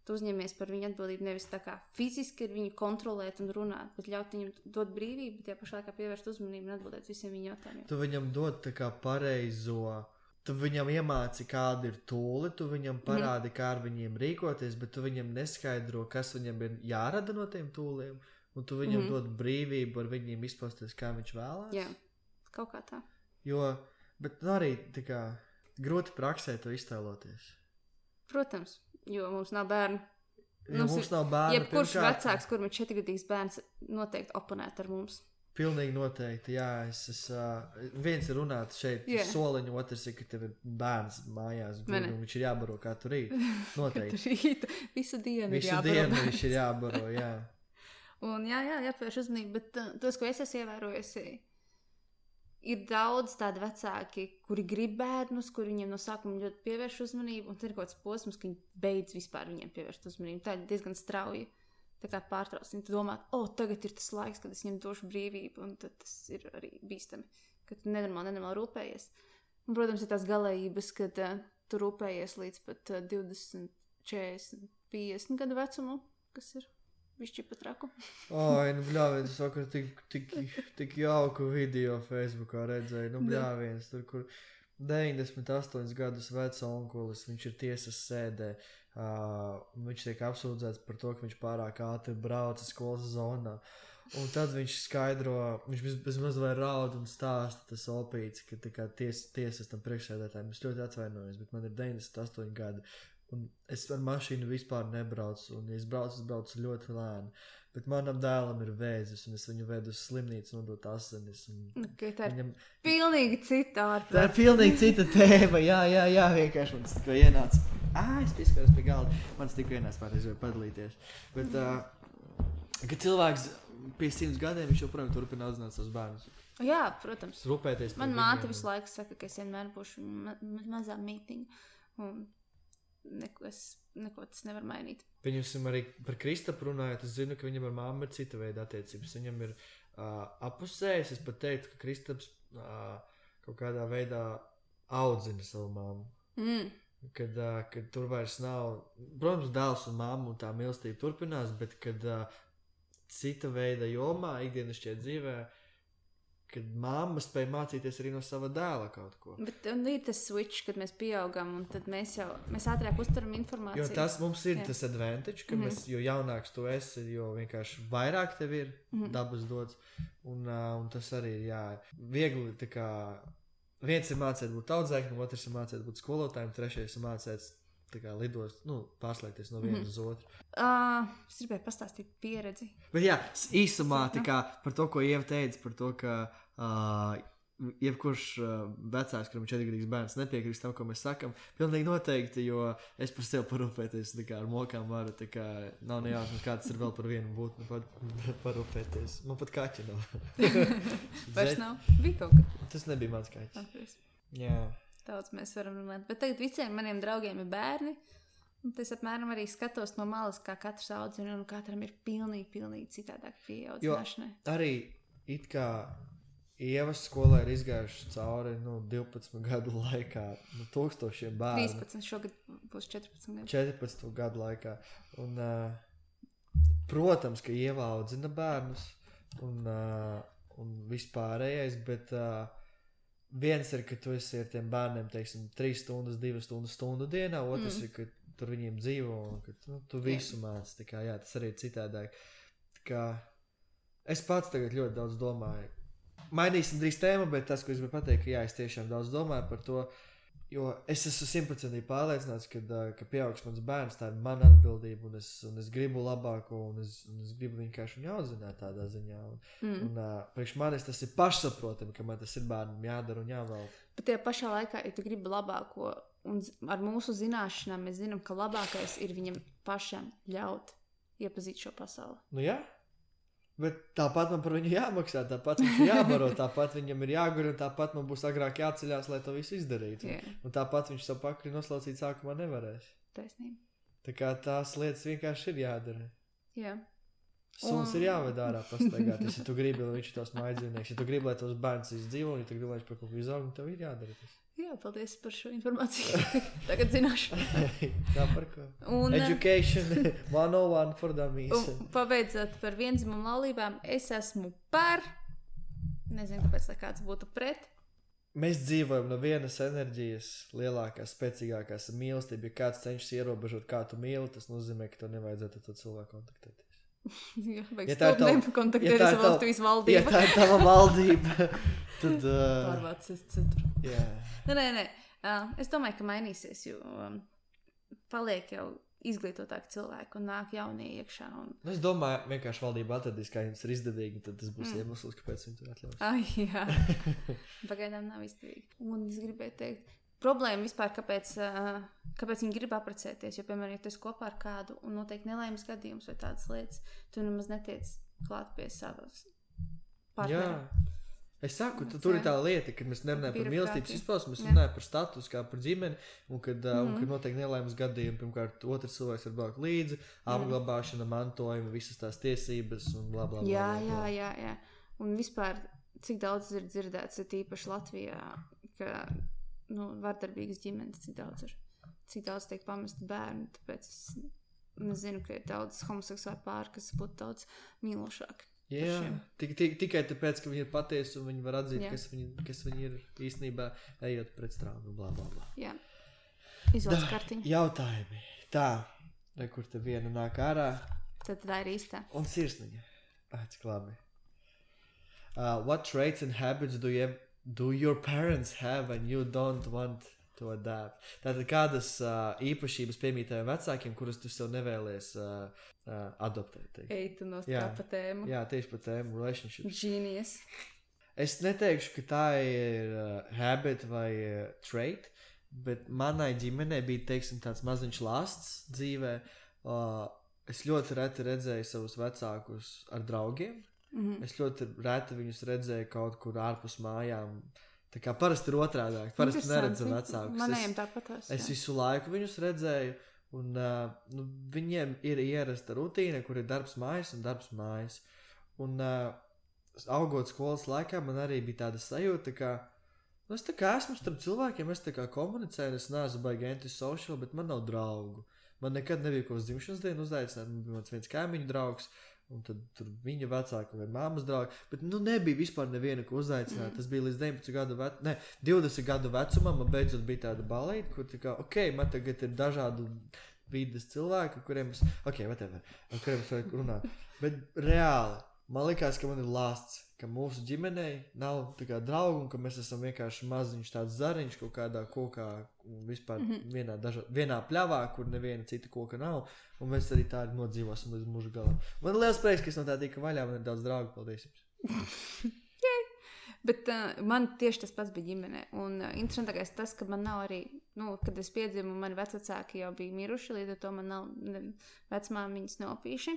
tu uzņemies par viņu atbildību nevis tā kā fiziski ar viņu kontrolēt un runāt, bet ļaut viņam dot brīvību, bet pašā laikā pievērst uzmanību un atbildēt visiem viņa jautājumiem. Tu viņam dod tā kā pareizo, tu viņam iemāci, kāda ir tūle, tu viņam parādi, kā ar viņiem rīkoties, bet tu viņam neskaidro, kas viņam ir jārada no tiem tūliem, un tu viņam dod brīvību ar viņiem izpausties, kā viņš vēlās. Jā, kaut kā tā. Jo, bet arī tā kā grūti praksē to iztēloties. Protams. Jo mums nav bērnu. Mums nav bērnu. Jebkurš vecāks, kuram ir 4-gadīgs bērns, noteikti oponēt ar mums. Pilnīgi noteikti, jā. Viens ir runāt šeit soliņu, otrs ir, ka tev ir bērns mājās, un viņš ir jābaro katru rītu. Noteikti. Katru rītu. Visu dienu ir jābaro. Visu dienu viņš ir jābaro, jā. Un jāpievērš uzmanību, bet tos, ko es esmu ievērojusi, ir daudz tādi vecāki, kuri grib bērnus, kuri viņiem no sākuma ļoti pievērš uzmanību, un tad ir kaut kāds posms, ka viņi beidz vispār viņiem pievērst uzmanību. Tā ir diezgan strauji tā kā pārtrauc. Viņi domā, tagad ir tas laiks, kad es viņiem došu brīvību, un tad tas ir arī bīstami, ka tu nenormāli rūpējies. Un, protams, ir tās galējības, kad tu rūpējies līdz pat 20, 40, 50 gadu vecumu, kas ir višķi pat raku. Bļāviens, es vakar tik jauku video Facebookā redzēju. Bļāviens, tur, kur 98 gadus vecs onkulis, viņš ir tiesas sēdē. Viņš tiek apsūdzēts par to, ka viņš pārāk ātri brauca skolas zonā. Un tad viņš skaidro, viņš bezmaz vai raud un stāsta tas opīts, ka tā kā tiesas tam priekšsēdētājiem. Es ļoti atvainojos, bet man ir 98 gadi. Un es ar mašīnu vispār nebraucu, un ja es braucu ļoti lēni. Bet manam dēlam ir vēzis, un es viņu vedu uz slimnīcu nodot asinis. Tā ir pilnīgi cita ārprāta. Tā ir pilnīgi cita tēma, jā, vienkārši man tas tikko ienāca. Es pieskaros pie galda. Man tas tikko ienāca pārreiz vai padalīties. Bet, kad cilvēks pie 100 gadiem, viņš joprojām turpina audzināt savus bērnus. Jā, protams. Rūpēties. Man māte visu laiku saka, ka es vienmēr būšu mazā mītiņa. Un neko tas nevar mainīt. Viņam arī par Kristapu runājot, es zinu, ka viņam ar māmu ir cita veida attiecības. Viņam ir apusējis, es pat teiktu, ka Kristaps kaut kādā veidā audzina savu māmu. Kad tur vairs nav, protams, dēls un māmu un tā mīlestība turpinās, bet kad cita veida jomā, ikdienas šķiet dzīvē, kad mamma spēja mācīties arī no sava dēla kaut ko. Bet ir tas switch, kad mēs pieaugam, un tad mēs ātrāk uztveram informāciju. Jo tas mums ir tas advantage, ka jo jaunāks tu esi, jo vienkārši vairāk tev ir dabas dots. Un tas arī ir, viegli tā kā, viens ir mācēt būt audzēknim, otrs ir mācēt būt skolotājiem, trešais ir mācēt tā kā lidost, pārslēgties no viena uz otru. Es gribēju pastāstīt pieredzi. Bet īsumā tā kā par to, ko Ieva teica, par to, ka jebkurš vecāks, kuram 4-gadīgs bērns nepiekrist tam, ko mēs sakam, pilnīgi noteikti, jo es par sevi parūpēties tā kā ar mokām varu, tā kā nav nejausmas, kā tas ir vēl par vienu būtni parūpēties. Man pat kaķi nav. Vairs nav? Bija kaut kā. Tas nebija mans kaķis. Okay. Jā. Daudz mēs varam runāt. Bet tagad visiem maniem draugiem ir bērni. Un es apmēram arī skatos no malas, kā katrs audzina, un katram ir pilnīgi citādāk pieeja audzināšanai. Jo arī it kā Ievas skolā ir izgājuši cauri 12 gadu laikā tūkstošiem bērnu. 13, šogad būs 14 gadu. 14 gadu laikā. Un, protams, ka Ieva audzina bērnus un vispārējais, bet viens ir, ka tu esi ar tiem bērniem, teiksim, 3 stundas, 2 stundu dienā, otrs ir, ka tur viņiem dzīvo un ka tu visu māci. Tā kā, tas arī ir citādāk. Tā kā es pats tagad ļoti daudz domāju. Mainīsim drīz tēmu, bet tas, ko es gribu pateikt, ka es tiešām daudz domāju par to, jo es esmu 100% pārliecināts, ka pieaugs mans bērns, tā ir mana atbildība, un es gribu labāko, un es gribu vienkārši viņu audzināt tādā ziņā. Un priekš manis tas ir pašsaprotami, ka man tas ir bērnam jādara un jāvēl. Bet tajā pašā laikā, ja tu gribi labāko, un ar mūsu zināšanām mēs zinām, ka labākais ir viņam pašam ļaut iepazīt šo pasauli. Jā. Bet tāpat man par viņu jāmaksā, tāpat viņš ir jābaro, tāpat viņam ir jāgur, un tāpat man būs agrāk jāceļās, lai to visu izdarītu. Un tāpat viņš savu pakri noslaucīt sākumā nevarēs. Taisnība. Tā kā tās lietas vienkārši ir jādara. Jā. Suns ir jāved ārā pastaigāties, ja tu gribi, lai viņš ir tās mājdzīvnieks. Ja tu gribi, lai tos bērns izdzīvo, un ja tu gribi, lai viņš par kaut ko izaug, tev ir jādara tas. Jā, paldies par šo informāciju. Tagad zināšu. Tā par ko. Education 101 for dummies. Pabeidzot par viendzimumu laulībām, es esmu par. Nezinu, kāpēc, lai kāds būtu pret. Mēs dzīvojam no vienas enerģijas, lielākās, spēcīgākās mīlestība. Ja kāds cenšas ierobežot, kā tu mīli, tas nozīmē, ka tev nevajadzētu ar to cilvēku kontaktēties. Jā, vajag stūp nekontaktēties ar Latvijas valdību. Ja tā ir tava valdība, tad... Pārvācies citur. Jā. Nē. Es domāju, ka mainīsies, jo paliek jau izglītotāki cilvēki un nāk jaunie iekšā. Es domāju, vienkārši valdība atradīs, kā jums ir izdevīgi, tad tas būs iemesls, kāpēc viņi tur atļaus. Ai, jā. Pagaidām nav izdevīgi. Un es gribēju teikt, problēma vispār, kāpēc viņi grib apprecēties, jo, piemēram, ja tu esi kopā ar kādu un notiek nelaimes gadījums vai tādas lietas, tu nemaz netiec klāt pie savas partnera. Jā. Es saku, tur ir tā lieta, kad mēs nerunājam par mīlestības izpausmu, mēs runājam par status, kā par ģimeni, un kad notiek nelaimes gadījumi, pirmkārt, otrs cilvēks var braukt līdzi, apglabāšana, mantojuma, visas tās tiesības un bla, bla, bla. Jā. Un vispār, cik daudz ir dzirdēts, ir tīpaši Latvijā, ka, vardarbīgas ģimenes, cik daudz tiek pamesti bērni, tāpēc es zinu, ka ir daudz homoseksuāli pāri, kas būtu daudz mīlošāki. Jā, tikai tāpēc, ka viņi ir patiesi un viņi var atzīt, kas viņi ir īstenībā ejot pret strāvu, blā, blā, blā. Jā, izvalds kartiņu. Jautājumi. Tā, kur te viena nāk ārā. Tad tā ir īstā. Un sirsniņa. Cik labi. What traits and habits do your parents have and you don't want to adapt? Tātad kādas īpašības piemīt taviem vecākiem, kuras tu sev nevēlies adoptēt? Tu nostāp pa tēmu. Jā, tieši pa tēmu relationships. Genius. Es neteikšu, ka tā ir habit vai trait, bet manai ģimenei bija, teiksim, tāds maziņš lasts dzīvē. Es ļoti reti redzēju savus vecākus ar draugiem. Es ļoti reti viņus redzēju kaut kur ārpus mājām. Tā kā parasti ir otrādāk, parasti neredzam vecākus. Manējiem tāpatās. Es visu laiku viņus redzēju, un viņiem ir ierasta rutīna, kur ir darbs mājas un darbs mājas. Un augot skolas laikā, man arī bija tāda sajūta, ka es tā kā esmu starp cilvēkiem, es tā kā komunicēju, es neesmu baigi antisocial, bet man nav draugu. Man nekad nebija ko uz dzimšanas dienu uzaicināt, man bija viens kaimiņu draugs, un tad tur viņa vecāka vai māmas draugi, bet nebija vispār neviena, ko uzaicināt. Tas bija līdz 20 gadu vecumam, man beidzot bija tāda balīte, kur tā kā, man tagad ir dažādu vides cilvēki, kuriem es vajag runāt. Bet reāli, man likās, ka man ir lasts, ka mūsu ģimenei nav tā kā draugu, un ka mēs esam vienkārši maziņš tāds zariņš kaut kādā kokā, vispār vienā pļavā, kur neviena cita koka nav, un mēs arī tā arī nodzīvosim līdz mūža galam. Man ir liels prieks, ka es no tā tika vaļā, man ir daudz draugu, paldies jums. Bet man tieši tas pats bija ģimenē, un interesantākais tas, ka man nav arī, kad es piedzimu, mani vecvecāki jau bija miruši, līdz ar to man nav vecmāmiņas neopīši,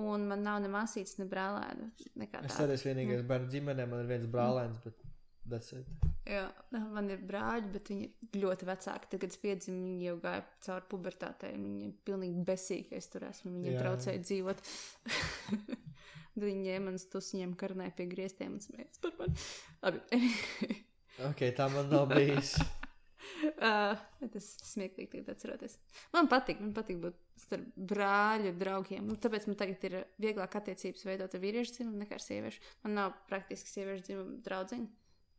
un man nav ne māsītes, ne brālēna, nekā tāda. Es arī vienīgais bērnu ģimenē, man ir viens brālēns, bet that's it. Jā, man ir brāļi, bet viņi ir ļoti vecāki. Tad, kad es piedzimu, viņi jau gāja cauri pubertātei, viņi ir pilnīgi besīgi, ka es tur esmu, viņi braucēja dzīvot. Tad viņi ņēma manas tusiņiem karnē pie griestiem un smējās par mani. Labi. Tā man nav bijis. Tas smieklīgi tagad atceroties. Man patīk būt starp brāļu draugiem. Tāpēc man tagad ir vieglāk attiecības veidot ar vīriešu dzimumu nekā ar sieviešu. Man nav praktiski sieviešu dzimumu draudzeņu.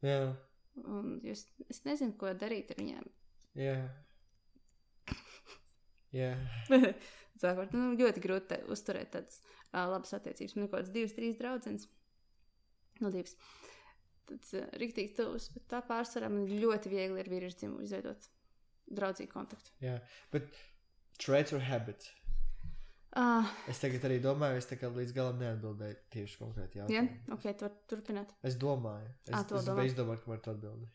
Jā. Un es nezinu, ko darīt ar viņiem. Jā. Sākot, ļoti grūti uzturēt tādas labas attiecības. Man ir kaut kāds 2-3 draudzenes. No 2. Tāds riktīgi tuvs, bet tā pārsvarā man ļoti viegli ar vīriešu dzimumu izveidot draudzīgu kontaktu. Jā, bet traits or habits? Es tagad arī domāju, es tā kā līdz galam neatbildēju tieši konkrēti jautājumu. Jā, ok, tu var turpināt. Es domāju. Es biju izdomāt, ka var tu atbildēt.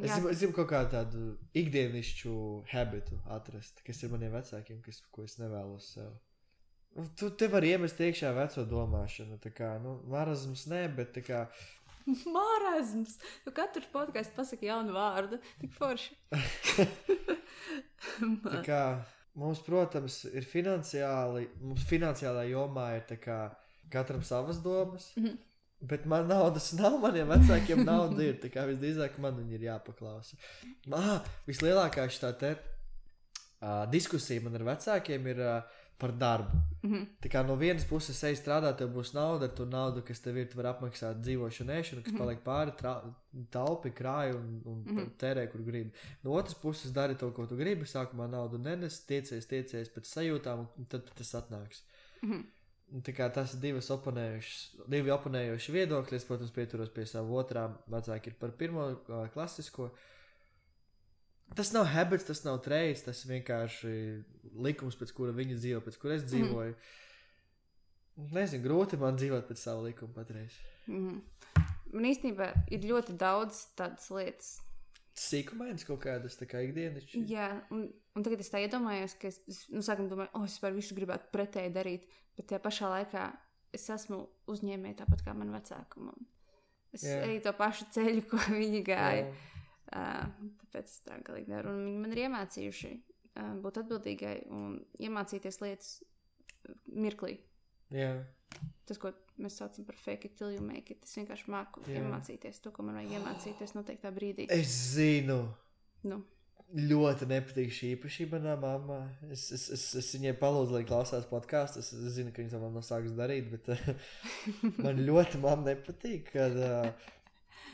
Es gribu kaut kādu tādu ikdienišķu habitu atrast, kas ir maniem vecākiem, ko es nevēlos sev. Tu te vari iemest iekšā veco domāšanu. Tā kā, marazms ne, bet tā kā... Marazms! Tu katru podcastu pasaki jaunu vārdu. Tik forši. Tā kā mums, protams, ir finansiālā jomā ir tā kā katram savas domas, bet man naudas nav, maniem vecākiem nauda ir. Tā kā visdrīzāk man viņi ir jāpaklausa. Vislielākā šitā te diskusija man ar vecākiem ir... par darbu. Tā kā no vienas puses ej strādāt, tev būs nauda, ar to naudu, kas tev ir, tu var apmaksāt dzīvošanu, ēšanu, kas paliek pāri, taupi, krāji un tērē, kur gribi. No otras puses dari to, ko tu gribi, sākumā naudu nenes, tiecies pēc sajūtām, un tad tas atnāks. Tā kā tas ir divi oponējoši viedokļi, es, protams, pieturos pie savu otrā, vecāki ir par pirmo klasisko. Tas nav habits, tas nav trades, tas vienkārši likums, pēc kura viņi dzīvo, pēc kura es dzīvoju. Nezinu, grūti man dzīvot pēc savu likumu patreiz. Man īstenībā ir ļoti daudz tādas lietas. Sīkumainas kaut kādas, tā kā ikdienas. Jā, un tagad es tā iedomājos, ka es sākumā domāju, es par visu gribētu pretēji darīt, bet tajā pašā laikā es esmu uzņēmēja tāpat kā man vecāku. Es eju to pašu ceļu, ko viņi gāja. Tāpēc es tā galīgi daru. Un viņi man ir iemācījuši būt atbildīgai un iemācīties lietas mirklī. Jā. Tas, ko mēs saucam par fake it till you make it, es vienkārši māku iemācīties to, ko man vajag iemācīties noteiktā brīdī. Es zinu. Nu. Ļoti nepatīk šī īpašība manā mamā. Es viņai palūdzu, lai klausās podcastu. Es zinu, ka viņa to man nav sākus darīt, bet man ļoti nepatīk,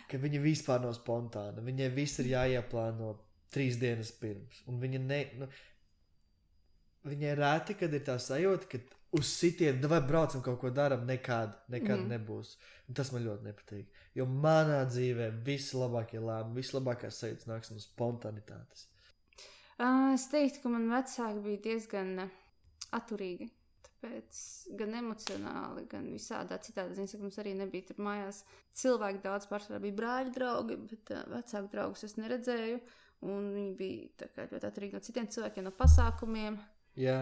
ka viņa vispār nav spontāna. Viņai viss ir jāieplāno 3 dienas pirms. Un viņa viņai rēti, kad ir tā sajūta, ka uz sitienu, vai braucam kaut ko daram, nekad nebūs. Un tas man ļoti nepatīk. Jo manā dzīvē vislabākie lēmumi, vislabākās sajūtas nāks no spontanitātes. Es teiktu, ka man vecāki bija diezgan atturīgi. Tāpēc gan emocionāli, gan visādā citādā ziņā, ka mums arī nebija tur mājās cilvēki daudz, pārsvarā bija brāļu draugi, bet vecāku draugus es neredzēju, un viņi bija tā kā ļoti atturīgi no citiem cilvēkiem, no pasākumiem. Jā.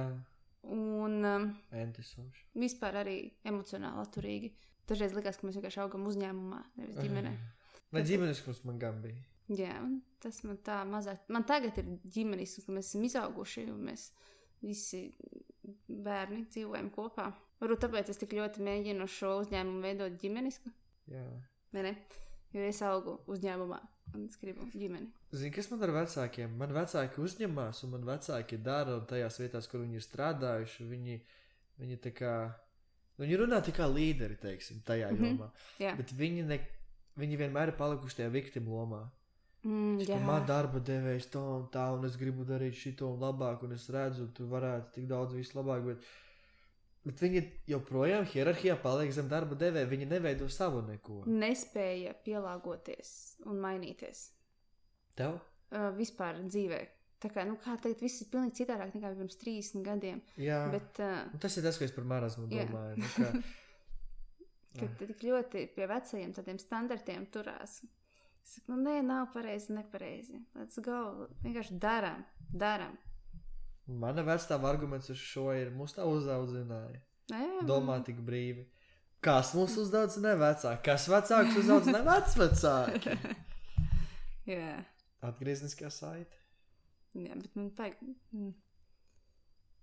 Un Antisociāli. Vispār arī emocionāli atturīgi. Dažreiz likās, ka mēs vienkārši augam uzņēmumā, nevis ģimenē. Vai ģimenisks man gan bija? Jā, un tas man tā mazāk. Man tagad ir ģimenisks, ka mēs esam izauguši, un mēs visi bērni dzīvojam kopā. Varbūt tāpēc es tik ļoti mēģinu šo uzņēmumu veidot ģimenisku. Jā. Ne? Jo es augu uzņēmumā un es gribu ģimeni. Zini, kas man ar vecākiem? Man vecāki uzņemās un man vecāki dara un tajās vietās, kur viņi ir strādājuši, viņi tā kā, viņi runā tā kā līderi, teiksim, tajā jomā. Jā. Bet viņi vienmēr ir palikuši tajā viktim lomā. Jā. Man darba devējs to un tā, un es gribu darīt šito un labāk, un es redzu, tu varētu tik daudz visu labāk, bet viņi joprojām hierarhijā paliek zem darba devēja, viņi neveido savu neko. Nespēja pielāgoties un mainīties. Tev? Vispār dzīvē. Tā kā, kā teikt, viss ir pilnīgi citādāk nekā pirms 30 gadiem. Jā, bet, tas ir tas, ko es par marazmu domāju. Kad tik ļoti pie vecajiem tādiem standartiem turās. Es saku, nē, nav pareizi, nepareizi. Let's go. Vienkārši daram. Mana vecstāva arguments uz šo ir, mūs tā uzaudzināja. Domā tik brīvi. Kas mūs uzaudzināja vecāki? Kas vecāks uzaudzināja vecvecāki? Jā. Atgriezniskā saite. Jā, bet man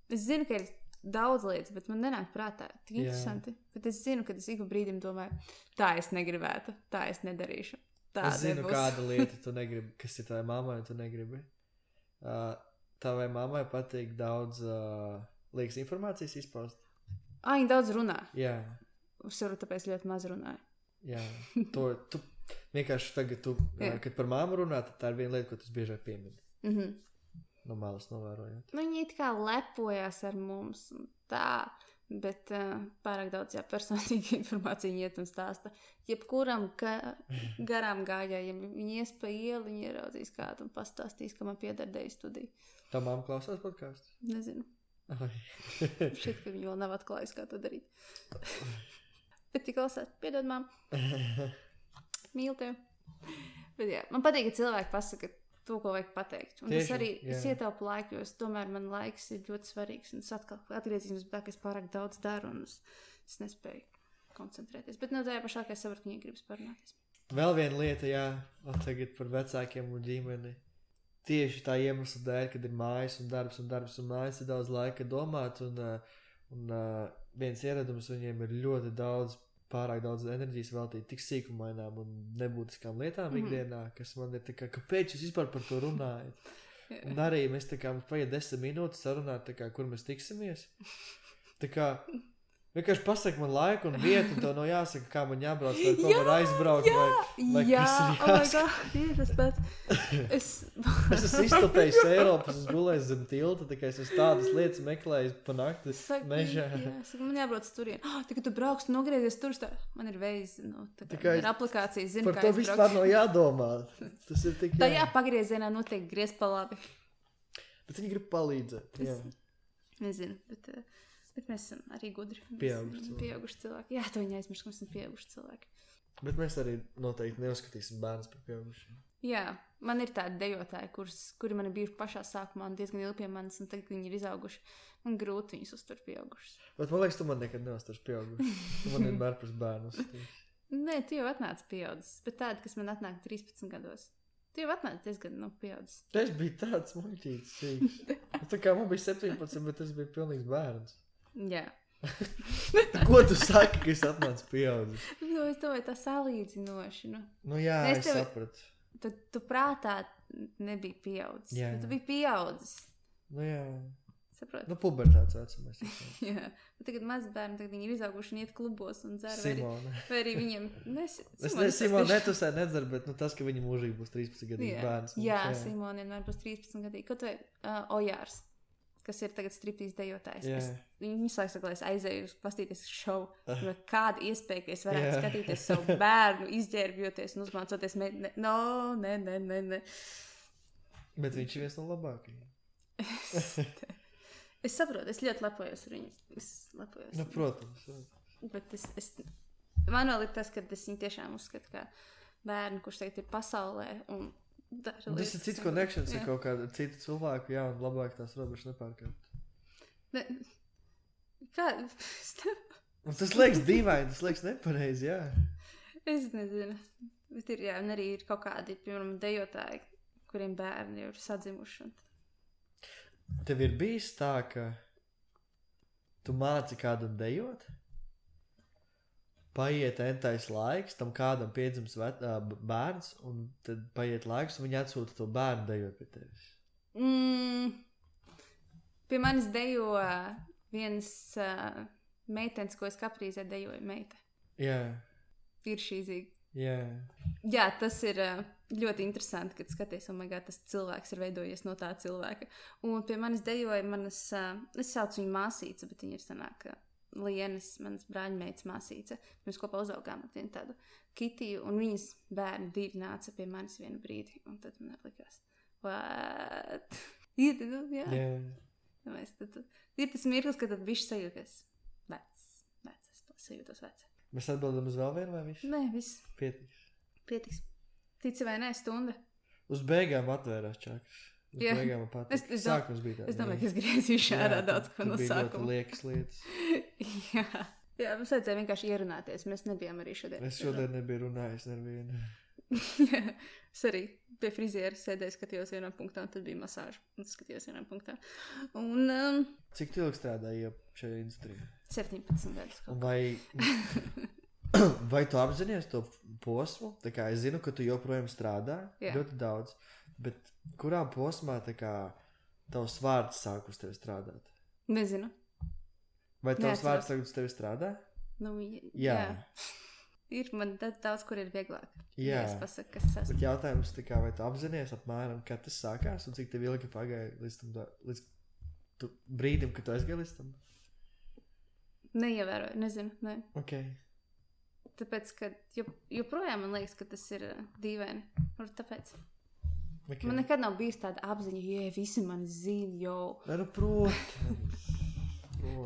es zinu, ka ir daudz lietas, bet man nenāk prātā. Tik interesanti. Bet es zinu, ka es ik pa brīdim domāju, tā es negribētu, tā es nedarīšu. Tā es zinu, kāda lieta tu negribi, kas ir tavai mammai, tu negribi. Tavai mammai patīk daudz liekas informācijas izpaust. Viņa daudz runā. Jā. Es varu tāpēc ļoti maz runāju. Jā. Tu vienkārši tagad, kad par māmu runā, tad tā ir viena lieta, ko tu biežāk piemini. No malas novērojot. Viņi it kā lepojās ar mums un tā, bet pārāk daudz personīga informācija iet un stāsta. Jebkuram garām gājējiem, viņi ies pa ielu, viņi ieraudzīs kādu un pastāstīs, ka man pieder deju studiju. Tā mamma klausās podcastu? Nezinu. Šķiet, ka viņi vēl nav atklājusi, kā to darīt. Bet tik klausās, piedod mamma. Mīlu tevi. Bet jā, man patīk, ka cilvēki pasaka to, ko vajag pateikt. Un Tieši, tas arī, jā. es ietaupu laiku, jo tomēr man laiks ir ļoti svarīgs, un es atkal atgriezīsimies tā, ka es pārāk daudz daru, un es nespēju koncentrēties. Bet no tajā pašā, ka es saprotu, ka viņi gribas parunāties. Vēl viena lieta, jā, tagad par vecākiem un ģimeni. Tieši tā iemesla dēļ, kad ir mājas un darbs, un mājas ir daudz laika domāt, un viens ieradums viņiem ir ļoti daudz, pārāk daudz enerģijas veltīt tik sīkumainām un nebūtiskām lietām ikdienā, kas man ir tā kā, kāpēc jūs vispār par to runājat? Un arī mēs tā kā, mums paiet 10 minūtes sarunāt, tā kā, kur mēs tiksimies. Tā kā, vienkārši pasaka man laiku un vietu, un tev nav jāsaka, kā man jābrauc, vai ko man aizbraukt, vai kas ir jāsaka. Tas pats. Es esmu iztopējis Eiropas, es gulēju zem tilta, tā kā es esmu tādas lietas meklējis pa nakti mežā. Man jābrauc turien. Tā, ka tu brauks, nogriezies tur, man ir veids, tā kā ir aplikācijas, zinu, par to vispār nav jādomā. Tas ir tik tā pagriezienā notiek griez pa labi. Bet viņi grib palīdzēt, jā. Nezinu, bet mēs esam arī gudri. Pieauguši cilvēki. Jā, to viņi aizmirst, ka mēs esam pieauguši cilvēki. Bet mēs arī noteikti neuzskatīsim bērnus par pieaugušiem. Jā, man ir tādi dejotāji, kuri man ir bijuši pašā sākumā un diezgan ilgi pie manis, un tagad viņi ir izauguši. Man grūti viņus uztur pieaugušus. Bet man liekas, tu man nekad neuzturs pieaugušus. Tu man vienmēr par bērnu uzskatīsi. Nē, tu jau atnāc pieaudzis, bet tādi, kas man atnāk 13 gados. Tu jau atnāc diezgan pieaudzis. Es biju tāds muļķīts sīks. Tā kā man bija 17, bet es biju pilnīgs bērns. Jā. Ko tu saki, ka es atnācu pieaudzis? Es domāju, tā salīdzinoši. Nu jā, es sapratu. Tu prātā nebija pieaudzis. Jā. Tu biji pieaudzis. Nu jā. Saprot? Nu pubertāts vecumais. Jā. Bet tagad mazbērni, tagad viņi ir izauguši un iet klubos un dzer. Simone. Vai arī viņiem... Simone netusē nedzer, bet tas, ka viņi mūžīgi būs 13 gadīgi bērns. Jā, Simone vienmēr būs 13 gadīgi. Kaut vai Ojārs, kas ir tagad striptīs dejotājs. Viņi saka, lai es aizēju pastīties šovu. Kāda iespēja, ka es varētu skatīties savu bērnu, izģērbjoties un uzmācoties. Nē. Bet viņš ir viens no labākajiem. Es saprotu, es ļoti lepojos ar viņu. Nu, protams. Bet man vēl ir tas, ka es viņu tiešām uzskatu kā bērnu, kurš tagad ir pasaulē un dara lietas. Tas ir cits connections ar kaut kādu citu cilvēku, jā, un labāk tās robežas nepārkārt. Kā? Un tas liekas dīvaini, tas liekas nepareizi, jā. Es nezinu. Bet ir, jā, un arī ir kaut kādi, piemēram, dejotāji, kuriem bērni ir sadzimuši. Tev ir bijis tā, ka tu māci kādam dejot, paiet entais laiks, tam kādam piedzims bērns, un tad paiet laiks, un viņi atsūta to bērnu dejot pie tevis? Pie manis dejo viens meitenes, ko es kaprīzē dejoju meita. Jā. Ir šīzīgi. Jā, tas ir ļoti interesanti, kad skaties, tas cilvēks ir veidojies no tā cilvēka. Un pie manis dejoja es saucu viņu māsīca, bet viņa ir sanāka Lienas, manas brāļmeitas māsīca. Mēs kopā uzaugām ar vienu tādu Kitiju, un viņas bērni divi nāca pie manis vienu brīdi, un tad man likās, what? Jā. Ir tas mirklis, kad tad bišķi sajūties vecs, es sajūtos vecs. Mēs atbildam uz vēl vienu vai visu? Nē, viss. Pietiks. Tici vai nē, stunda. Uz beigām atvērās čakras. Uz beigām man patīk. Sākums bija tā. Es domāju, ka es griezīšu ārā daudz ko no sākuma. Tur bija ļoti liekas lietas. Jā, mums vajadzēja vienkārši ierunāties. Mēs nebijām arī šodien. Es šodien nebiju runājis nevienu. Es arī pie friziera sēdēju, skatījos vienā punktā, un tad bija masāža. Un skatījos vienā punktā. Un... Cik tu ilgi strādāji šajā industrijā? 17 gadus. Vai tu apzinies to posmu? Tā kā es zinu, ka tu joprojām strādā ļoti daudz, bet kurā posmā tā kā tavs vārds sāk uz tevi strādāt? Nezinu. Vai tavs vārds tagad uz tevi strādā? Nu, jā. Ir man daudz, kur ir vieglāk. Jā. Es pasaku, kas es esmu. Bet jautājums tā kā, vai tu apzinies apmēram, kad tas sākās un cik tev ilgi pagāja līdz brīdim, kad tu aizgāji līdz tam? Neievēroju, nezinu, ne. Ok. Tāpēc, ka joprojām man liekas, ka tas ir dīvaini. Tāpēc. Okay. Man nekad nav bijis tāda apziņa, visi mani zina, jau. Nu, protams.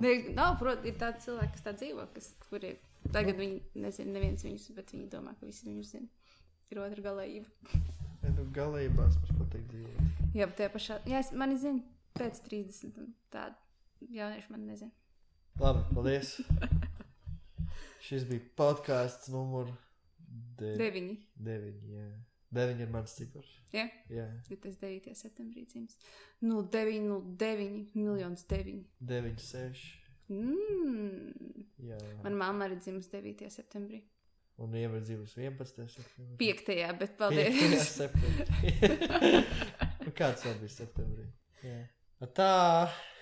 Ir tādi cilvēki, kas tā dzīvo, kuri tagad viņi nezina neviens viņus, bet viņi domā, ka visi viņus zina. Ir otra galējība. galībās mums patīk dzīvot. Jā, bet tie pašā, jā, mani zina pēc 30 un tādi jaunieši man nezina. Labi, paldies. Šis bija podcasts numur 9. 9, jā. 9 ir mans cipars. Jā? Jā. Jo tas 9. septembrī dzims. 09, 9. 9-6. Jā. Man mamma arī dzims 9. septembrī. Un Ieva ir dzimusi 11. septembrī. 5. bet paldies. 5. septembrī. Kāds vēl bija septembrī? Jā. Tā.